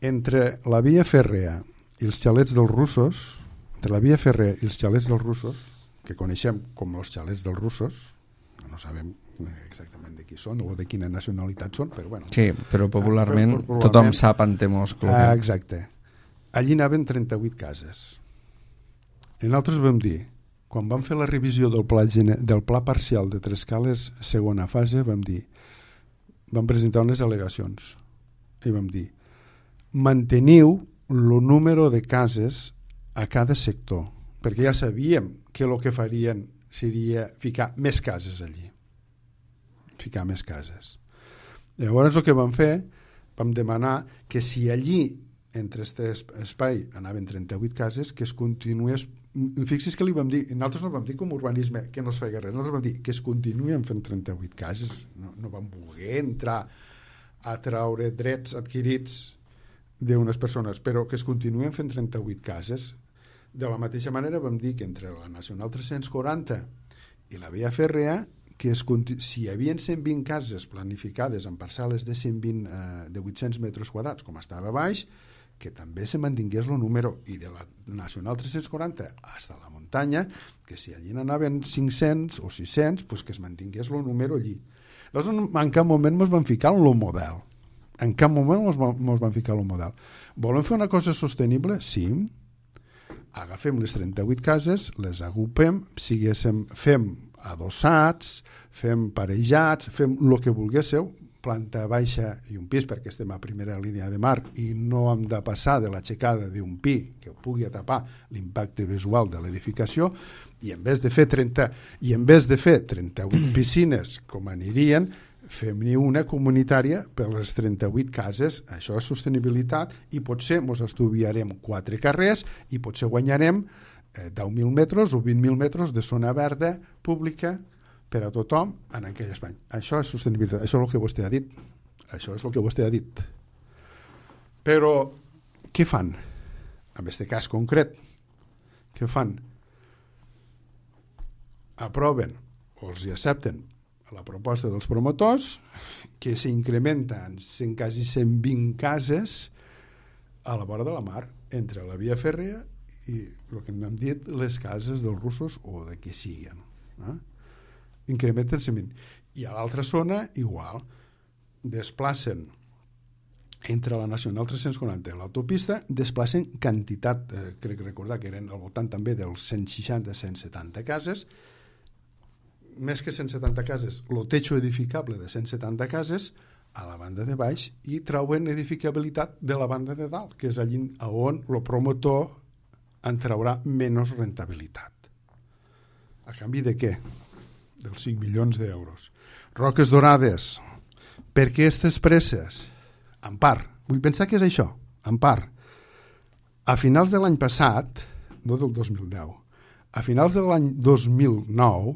entre la via fèrrea i els xalets dels russos, entre la via fèrrea i els xalets dels russos, que coneixem com els xalets dels russos, no sabem exactament de qui són o de quina nacionalitat són, però bueno. Sí, però popularment tothom sap Antemós. Exacte. Allí anaven 38 cases. I nosaltres vam dir, quan vam fer la revisió del pla parcial de Trescales segona fase, vam presentar unes al·legacions i vam dir, manteniu el número de cases a cada sector, perquè ja sabíem que el que farien seria ficar més cases allí. Ficar més cases. Llavors el que vam fer, vam demanar que si allí, entre aquest espai, anaven 38 cases, que es continués... Fixi's que li vam dir, nosaltres no vam dir com urbanisme que no es feia res, nosaltres vam dir que es continuen fent 38 cases, no vam voler entrar a traure drets adquirits d'unes persones, però que es continuen fent 38 cases. De la mateixa manera vam dir que entre la Nacional 340 i la via fèrrea, que si hi havia 120 cases planificades en parcel·les de 120 de 800 metres quadrats, com estava baix, que també se mantingués el número, i de la Nacional 340 fins a la muntanya, que si allí n'anaven 500 o 600, pues que es mantingués el número allí. Llavors, en cap moment ens van ficar en el model. En cap moment ens van ficar el model. Volem fer una cosa sostenible? Sí. Agafem les 38 cases, les agrupem, fem adossats, fem parejats, fem el que vulguéssiu, planta baixa i un pis, perquè estem a primera línia de mar i no hem de passar de l'aixecada d'un pi que pugui atapar l'impacte visual de l'edificació, i en vez de fer 38 piscines com anirien, fem-ne una comunitària per les 38 cases, això és sostenibilitat, i potser ens estudiarem 4 carrers i potser guanyarem 10.000 metres o 20.000 metres de zona verda pública per a tothom en aquell espai. Això és sostenibilitat, això és el que vostè ha dit. Això és el que vostè ha dit. Però què fan? En aquest cas concret, què fan? Aproven o els accepten la proposta dels promotors que s'incrementa en quasi 120 cases a la vora de la mar, entre la via fèrrea i el que hem dit, les cases dels russos o de qui siguin. Incrementen 120. I a l'altra zona, igual, desplacen entre la Nacional 340 i l'autopista, desplacen quantitat, crec recordar que eren al voltant també dels 160-170 cases, més que 170 cases, el techo edificable de 170 cases a la banda de baix i trauen edificabilitat de la banda de dalt, que és allí on el promotor en traurà menys rentabilitat. A canvi de què? Dels 5 milions d'euros. Roques Dorades. Per què aquestes presses? En part. Vull pensar que és això. En part. A finals de l'any passat, no del 2010, a finals de l'any 2009,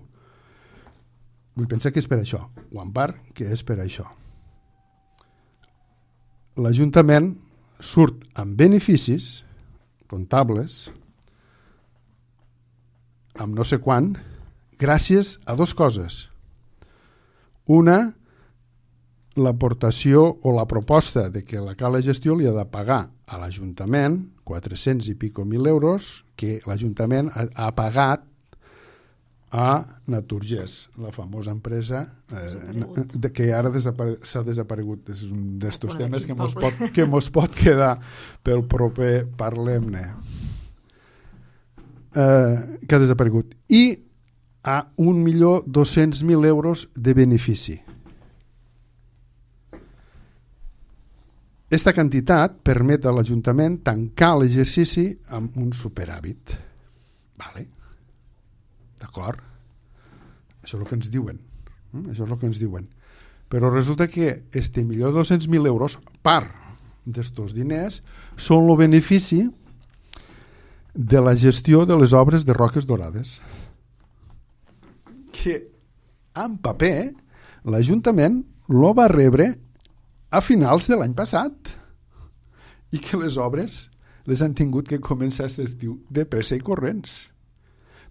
vull pensar que és per això, o en part que és per això. L'Ajuntament surt amb beneficis comptables, amb no sé quant, gràcies a 2 coses. Una, l'aportació o la proposta de que la Cala Gestió li ha de pagar a l'Ajuntament 400 i pico mil euros que l'Ajuntament ha pagat a Naturgés, la famosa empresa que ara s'ha desaparegut. És un d'estos temes que mos pot quedar pel proper Parlem-ne. Que ha desaparegut. I a 1.200.000 euros de benefici. Aquesta quantitat permet a l'Ajuntament tancar l'exercici amb un superàvit. Vale. D'acord? Això és el que ens diuen. Això és el que ens diuen. Però resulta que este 1.200.000 euros, part d'estos diners, són el benefici de la gestió de les obres de Roques Dorades. Que en paper l'Ajuntament lo va rebre a finals de l'any passat i que les obres les han tingut que començar aquest estiu de pressa i corrents.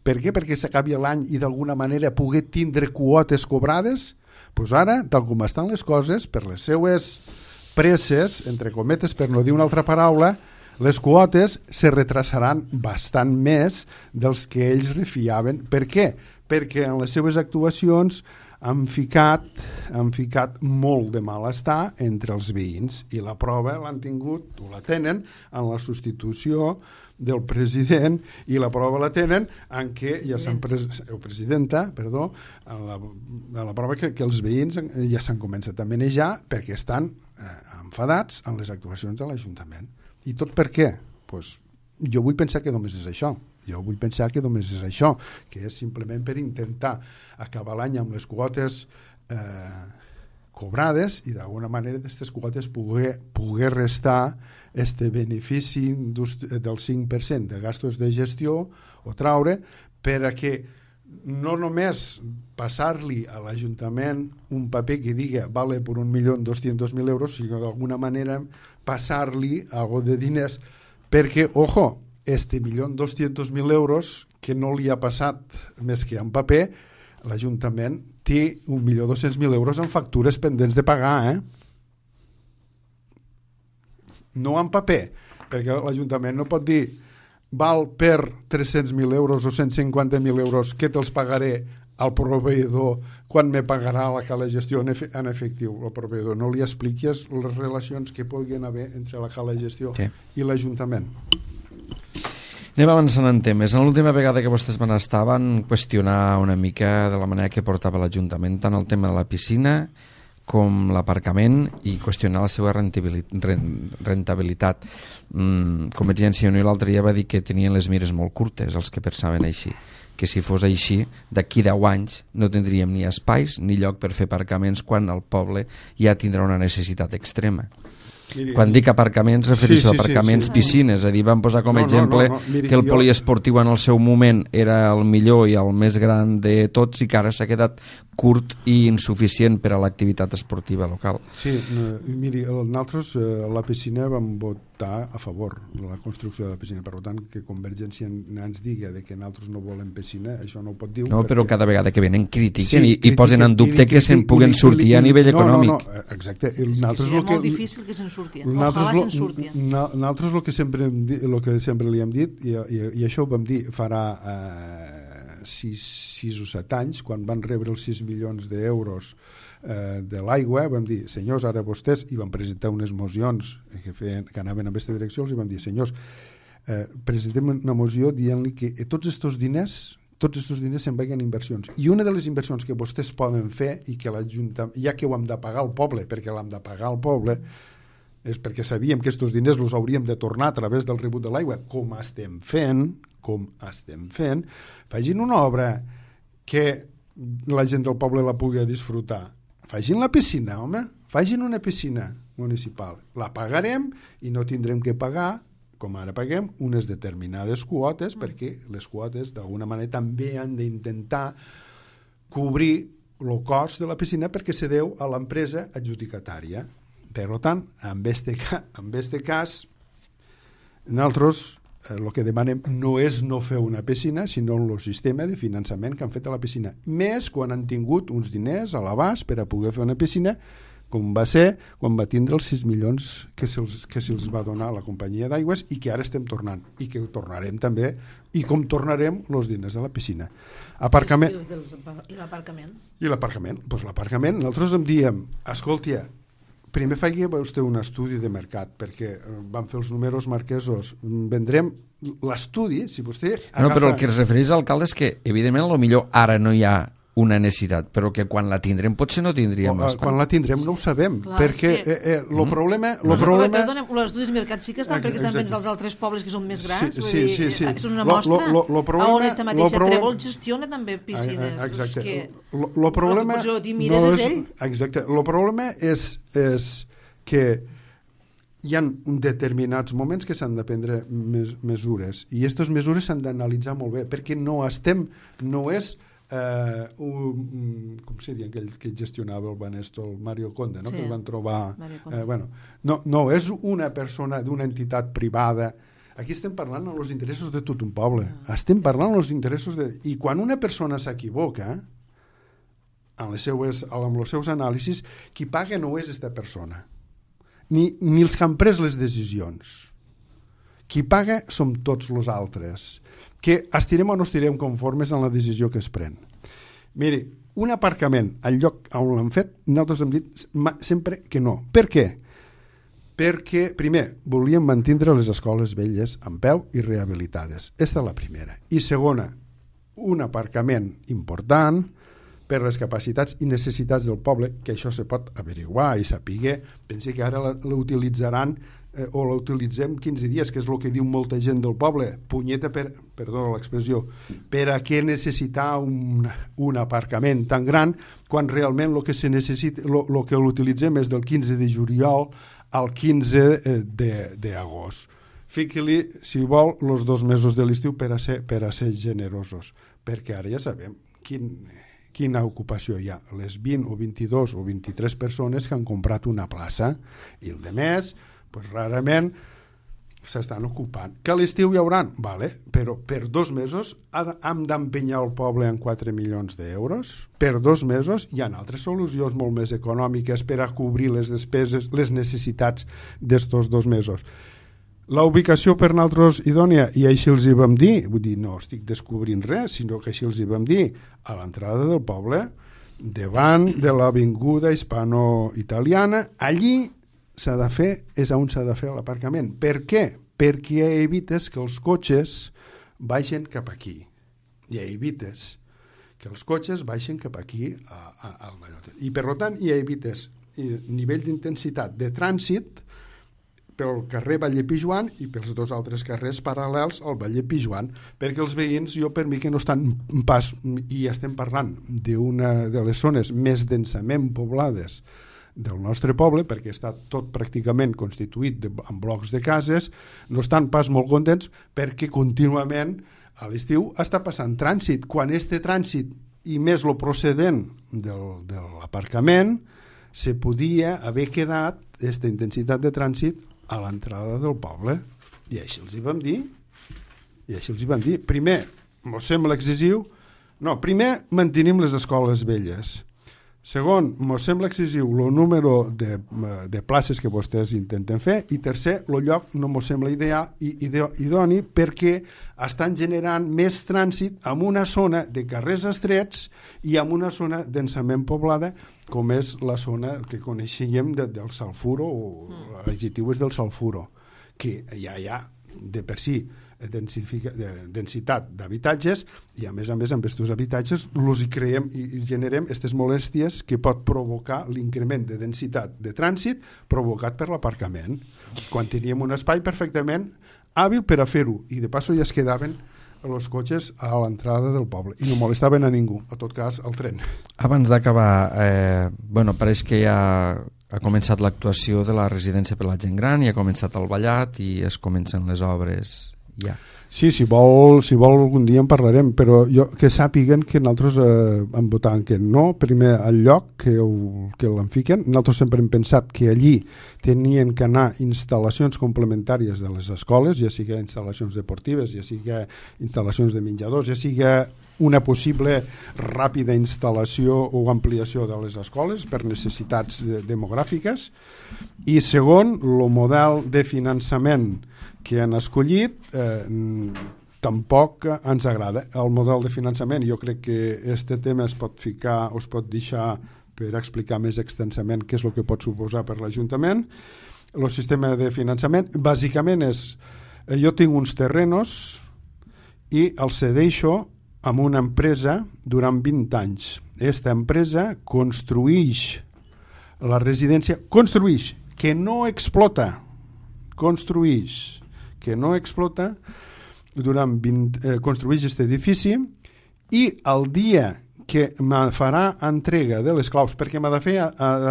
Per què? Perquè s'acabi l'any i d'alguna manera poder tindre quotes cobrades? Doncs ara, tal com estan les coses, per les seues presses, entre cometes, per no dir una altra paraula, les quotes se retrasaran bastant més dels que ells refiaven. Per què? Perquè en les seues actuacions han ficat molt de malestar entre els veïns i la prova l'han tingut o la tenen en la substitució del president i la prova la tenen en què ja s'han presidenta, perdó, en la prova que els veïns ja s'han començat a manejar perquè estan enfadats en les actuacions de l'Ajuntament. I tot per què? Pues, jo vull pensar que només és això. Que és simplement per intentar acabar l'any amb les quotes cobrades i d'alguna manera d'aquestes quotes poder restar este benefici del 5% de gastos de gestió o traure per a que no només passar-li a l'Ajuntament un paper que diga vale per 1.200.000 euros, sinó d'alguna manera passar-li algo de diners perquè, ojo, este 1.200.000 euros que no li ha passat més que en paper, l'Ajuntament té 1.200.000 euros en factures pendents de pagar, no en paper, perquè l'Ajuntament no pot dir val per 300.000 euros o 150.000 euros que te'ls pagaré al proveïdor quan me pagarà la Cala Gestió en efectiu el proveïdor. No li expliquis les relacions que puguin haver entre la Cala Gestió i l'Ajuntament. Anem avançant en temes. En l'última vegada que vostès van estar van qüestionar una mica de la manera que portava l'Ajuntament tant el tema de la piscina com l'aparcament i qüestionar la seva rentabilitat. Convergència i Unió l'altre dia va dir que tenien les mires molt curtes, els que pensaven així. que si fos així, d'aquí 10 anys no tindríem ni espais ni lloc per fer aparcaments quan el poble ja tindrà una necessitat extrema. Miri, quan dic aparcaments refereixo a aparcaments, piscines, és a dir, vam posar com a exemple Miri, que el poliesportiu en el seu moment era el millor i el més gran de tots i que ara s'ha quedat curt i insuficient per a l'activitat esportiva local. Sí, miri, nosaltres a la piscina vam votar a favor de la construcció de la piscina, per tant que Convergència ens digui que nosaltres no volem piscina, això no ho pot dir. No, però cada vegada que venen critiquen i posen en dubte que se'n puguen sortir a nivell econòmic. No, exacte. Seria molt difícil que se'n surtien. Ojalà se'n surtien. Nosaltres el que sempre li hem dit, i això ho vam dir farà 6 o 7 anys, quan van rebre els 6 milions d'euros de l'aigua, vam dir, senyors, ara vostès, i van presentar unes mocions que anaven en aquesta direcció, els vam dir, senyors, presentem una moció dient-li que tots aquests diners se'n vagin a inversions. I una de les inversions que vostès poden fer, i que l'Ajuntament, ja que ho hem de pagar al poble, perquè l'hem de pagar al poble, és perquè sabíem que aquests diners els hauríem de tornar a través del rebut de l'aigua, com estem fent, facin una obra que la gent del poble la pugui disfrutar. Facin la piscina, home, facin una piscina municipal. La pagarem i no tindrem que pagar, com ara paguem, unes determinades quotes, perquè les quotes d'alguna manera també han d'intentar cobrir el cost de la piscina perquè se deu a l'empresa adjudicatària. Per tant, en este cas, nosaltres el que demanem no és no fer una piscina, sinó el sistema de finançament que han fet a la piscina. Més quan han tingut uns diners a l'abast per a poder fer una piscina, com va ser quan va tindre els 6 milions que se'ls va donar a la companyia d'aigües i que ara estem tornant, i que ho tornarem també, i com tornarem els diners de la piscina. Aparcament. I l'aparcament? I l'aparcament. Doncs l'aparcament, nosaltres em diem, escolti, primer faci vostè un estudi de mercat, perquè van fer els números marquesos. Vendrem l'estudi, si vostè agafa... No, però el que es refereix al alcalde és que, evidentment, potser ara no hi ha una necessitat, però que quan la tindrem potser no tindríem l'espai. Quan la tindrem no ho sabem, perquè el problema... Perdona, els estudis de mercat sí que estan, perquè estan fent els altres pobles que són més grans, sí. Són una mostra on esta mateixa Trèvol gestiona també piscines. Exacte. El problema... Exacte. El problema és que hi ha determinats moments que s'han de prendre mesures, i aquestes mesures s'han d'analitzar molt bé, perquè no és com se diu aquell que gestionava el Banesto, el Mario Conde, no? Que el van trobar no és una persona d'una entitat privada. Aquí estem parlant dels interessos de tot un poble, estem parlant dels interessos i quan una persona s'equivoca amb els seus anàlisis, qui paga no és aquesta persona ni els que han pres les decisions. Qui paga som tots els altres, que estirem o no estirem conformes en la decisió que es pren. Miri, un aparcament al lloc on l'han fet, nosaltres hem dit sempre que no. Per què? Perquè, primer, volíem mantindre les escoles velles en peu i rehabilitades. Aquesta és la primera. I segona, un aparcament important per les capacitats i necessitats del poble, que això se pot averiguar i saber. Pensi que ara l'utilitzaran o l'utilitzem 15 dies, que és el que diu molta gent del poble. Punyeta, perdó l'expressió, per a què necessitar un aparcament tan gran quan realment el que se necessita, el que l'utilitzem és del 15 de juliol al 15 d'agost. Fiqui-li, si vol, els 2 mesos de l'estiu per a ser generosos, perquè ara ja sabem quina ocupació hi ha. Les 20 o 22 o 23 persones que han comprat una plaça, i el de més rarament s'estan ocupant. Que a l'estiu hi hauran? Vale, però per 2 mesos hem d'empenyar el poble en 4 milions d'euros? Per 2 mesos hi ha altres solucions molt més econòmiques per a cobrir les despeses, les necessitats d'estos 2 mesos. La ubicació per nosaltres idònia, i així els hi vam dir, vull dir, no estic descobrint res, sinó que així els hi vam dir, a l'entrada del poble, davant de l'avinguda hispano-italiana, allí s'ha de fer, és on s'ha de fer l'aparcament. Per què? Perquè evites que els cotxes baixen cap aquí. I evites que els cotxes baixen cap aquí al Vallot. I per tant, evites nivell d'intensitat de trànsit pel carrer Valle Pijuan i pels dos altres carrers paral·lels al Valle Pijuan, perquè els veïns, jo per mi que no estan pas, i estem parlant d'una de les zones més densament poblades del nostre poble, perquè està tot pràcticament constituït en blocs de cases, no estan pas molt contents perquè contínuament a l'estiu està passant trànsit, quan este trànsit i més lo procedent de l'aparcament se podia haver quedat aquesta intensitat de trànsit a l'entrada del poble, i així els hi vam dir. Primer, mos sembla excessiu, primer mantenim les escoles velles. Segon, mos sembla excessiu el número de places que vostès intenten fer, i tercer, el lloc no mos sembla idoni perquè estan generant més trànsit en una zona de carrers estrets i en una zona densament poblada com és la zona que coneixíem del Salfuro, o l'adjectiu és del Salfuro, que ja hi ha de per si densitat d'habitatges, i a més amb aquests habitatges els hi creem i generem aquestes molèsties que pot provocar l'increment de densitat de trànsit provocat per l'aparcament, quan teníem un espai perfectament hàbil per a fer-ho, i de passo ja es quedaven els cotxes a l'entrada del poble i no molestaven a ningú, a tot cas al tren. Abans d'acabar, pareix que ja ha començat l'actuació de la residència per la gent gran i ha començat el ballat i es comencen les obres ja. Sí, si vol algun dia en parlarem, però que sàpiguen que nosaltres hem votat que no, primer al lloc que l'en fiquen. Nosaltres sempre hem pensat que allí tenien que anar instal·lacions complementàries de les escoles, ja sigui instal·lacions deportives, ja sigui instal·lacions de menjadors, ja sigui una possible ràpida instal·lació o ampliació de les escoles per necessitats demogràfiques. I segon, el model de finançament que han escollit tampoc ens agrada. El model de finançament, jo crec que este tema es pot deixar per explicar més extensament què és el que pot suposar per l'Ajuntament. El sistema de finançament bàsicament és, jo tinc uns terrenos i els cedeixo amb una empresa durant 20 anys. Aquesta empresa construïix la residència, que no explota, construïix aquest edifici, i el dia que me farà entrega de les claus, perquè m'ha de fer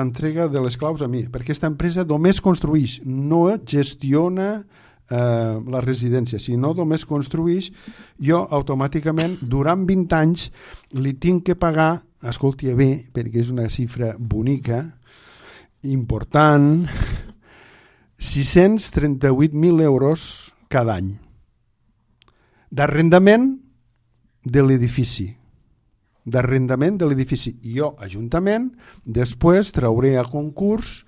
entrega de les claus a mi, perquè aquesta empresa només construïix, no gestiona la residència, si no només construïix, jo automàticament durant 20 anys li tinc que pagar, escolti bé, perquè és una xifra bonica, important, 638.000 euros cada any d'arrendament de l'edifici. I jo, Ajuntament, després trauré a concurs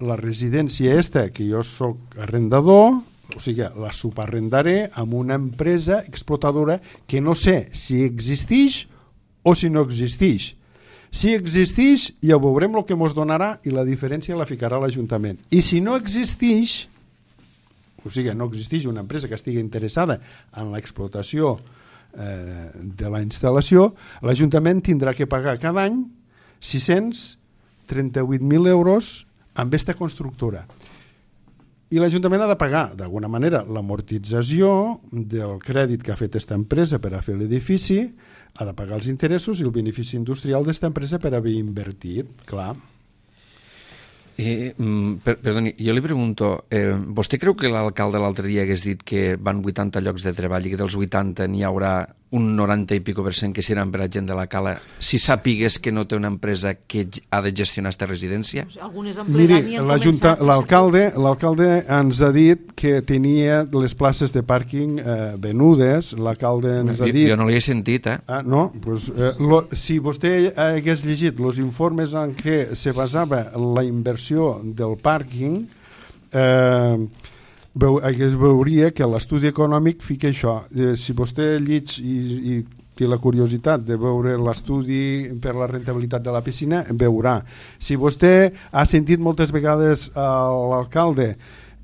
la residència que jo soc arrendador, o sigui, la subarrendaré amb una empresa explotadora que no sé si existeix o si no existeix. Si existeix, ja veurem el que ens donarà i la diferència la ficarà l'Ajuntament. I si no existeix, o sigui, no existeix una empresa que estigui interessada en l'explotació de la instal·lació, l'Ajuntament tindrà que pagar cada any 638.000 euros amb aquesta constructora. I l'Ajuntament ha de pagar, d'alguna manera, l'amortització del crèdit que ha fet aquesta empresa per a fer l'edifici, ha de pagar els interessos i el benefici industrial d'aquesta empresa per haver invertit, clar. Perdoni, jo li pregunto, vostè creu que l'alcalde l'altre dia hagués dit que van 80 llocs de treball i que dels 80 n'hi haurà un 90 i pico % que seran per a gent de la cala, si sàpigues que no té una empresa que ha de gestionar aquesta residència? Miri, l'alcalde ens ha dit que tenia les places de pàrquing venudes, l'alcalde ens ha dit... Jo no li he sentit, No, doncs, si vostè hagués llegit els informes en què se basava la inversió del pàrquing, veuria que l'estudi econòmic fica això. Si vostè llig i té la curiositat de veure l'estudi per la rentabilitat de la piscina, veurà. Si vostè ha sentit moltes vegades l'alcalde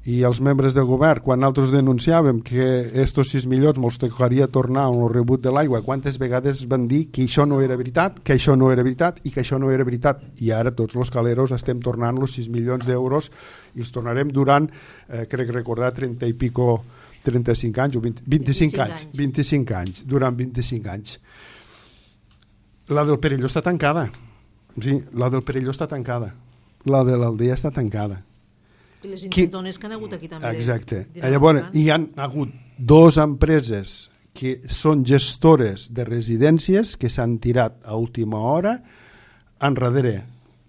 i els membres del govern, quan nosaltres denunciàvem que estos 6 milions mos tocaria tornar amb el rebut de l'aigua, quantes vegades van dir que això no era veritat, que això no era veritat i que això no era veritat, i ara tots els caleros estem tornant els 6 milions d'euros i els tornarem durant, crec recordar, 30 i pico 35 anys o 25 anys. 25 anys, durant 25 anys. La del Perelló està tancada. Sí, la del Perelló està tancada. La de l'Aldea està tancada. I les intentones que han hagut aquí també. Exacte. Llavors, hi han hagut 2 empreses que són gestores de residències que s'han tirat a última hora enrere.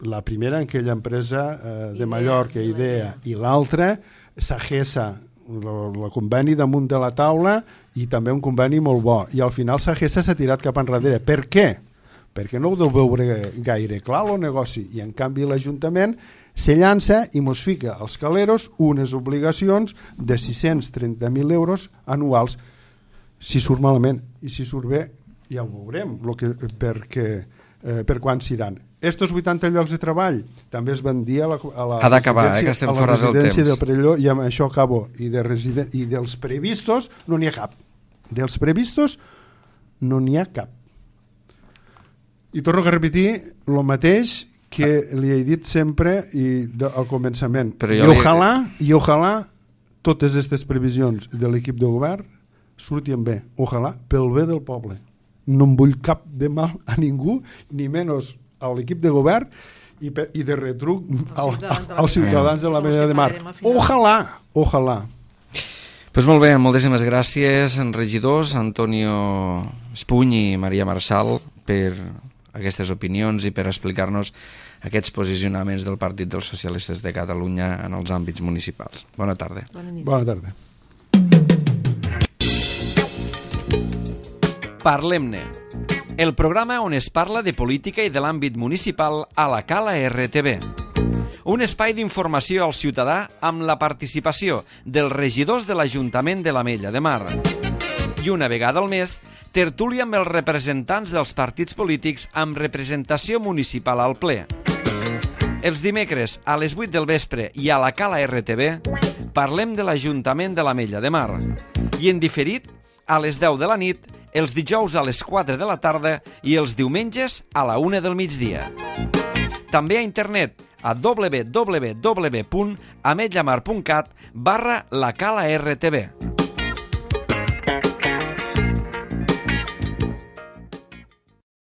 La primera, aquella empresa de Mallorca, Idea, i l'altra, Sagessa, el conveni damunt de la taula i també un conveni molt bo, i al final Sagessa s'ha tirat cap enrere. Per què? Perquè no ho deu veure gaire clar el negoci, i en canvi l'Ajuntament se llança i mos fica als caleros unes obligacions de 630.000 euros anuals, si surt malament, i si surt bé ja ho veurem per quan s'iran. Estos 80 llocs de treball també es van dir a la residència del Perelló, i amb això acabo, i dels previstos no n'hi ha cap. Dels previstos no n'hi ha cap. I torno a repetir el mateix que li he dit sempre al començament. I ojalà totes aquestes previsions de l'equip de govern surtin bé. Ojalà pel bé del poble. No em vull cap de mal a ningú, ni menys a l'equip de govern i de retruc als ciutadans de la Mella de Mar. Ojalà. Pues molt bé, moltíssimes gràcies, regidors Antonio Espuny i Maria Marçal, per aquestes opinions i per explicar-nos aquests posicionaments del Partit dels Socialistes de Catalunya en els àmbits municipals. Bona tarda. Bona tarda. Parlem-ne, el programa on es parla de política i de l'àmbit municipal a la Cala RTV. Un espai d'informació al ciutadà amb la participació dels regidors de l'Ajuntament de l'Ametlla de Mar. I una vegada al mes, tertúlia amb els representants dels partits polítics amb representació municipal al ple. Els dimecres a les 8 del vespre i a la Cala RTV parlem de l'Ajuntament de l'Ametlla de Mar. I en diferit, a les 10 de la nit, els dijous a les 4 de la tarda i els diumenges a la 1 del migdia. També a internet a www.ametllamar.cat/la Cala RTV.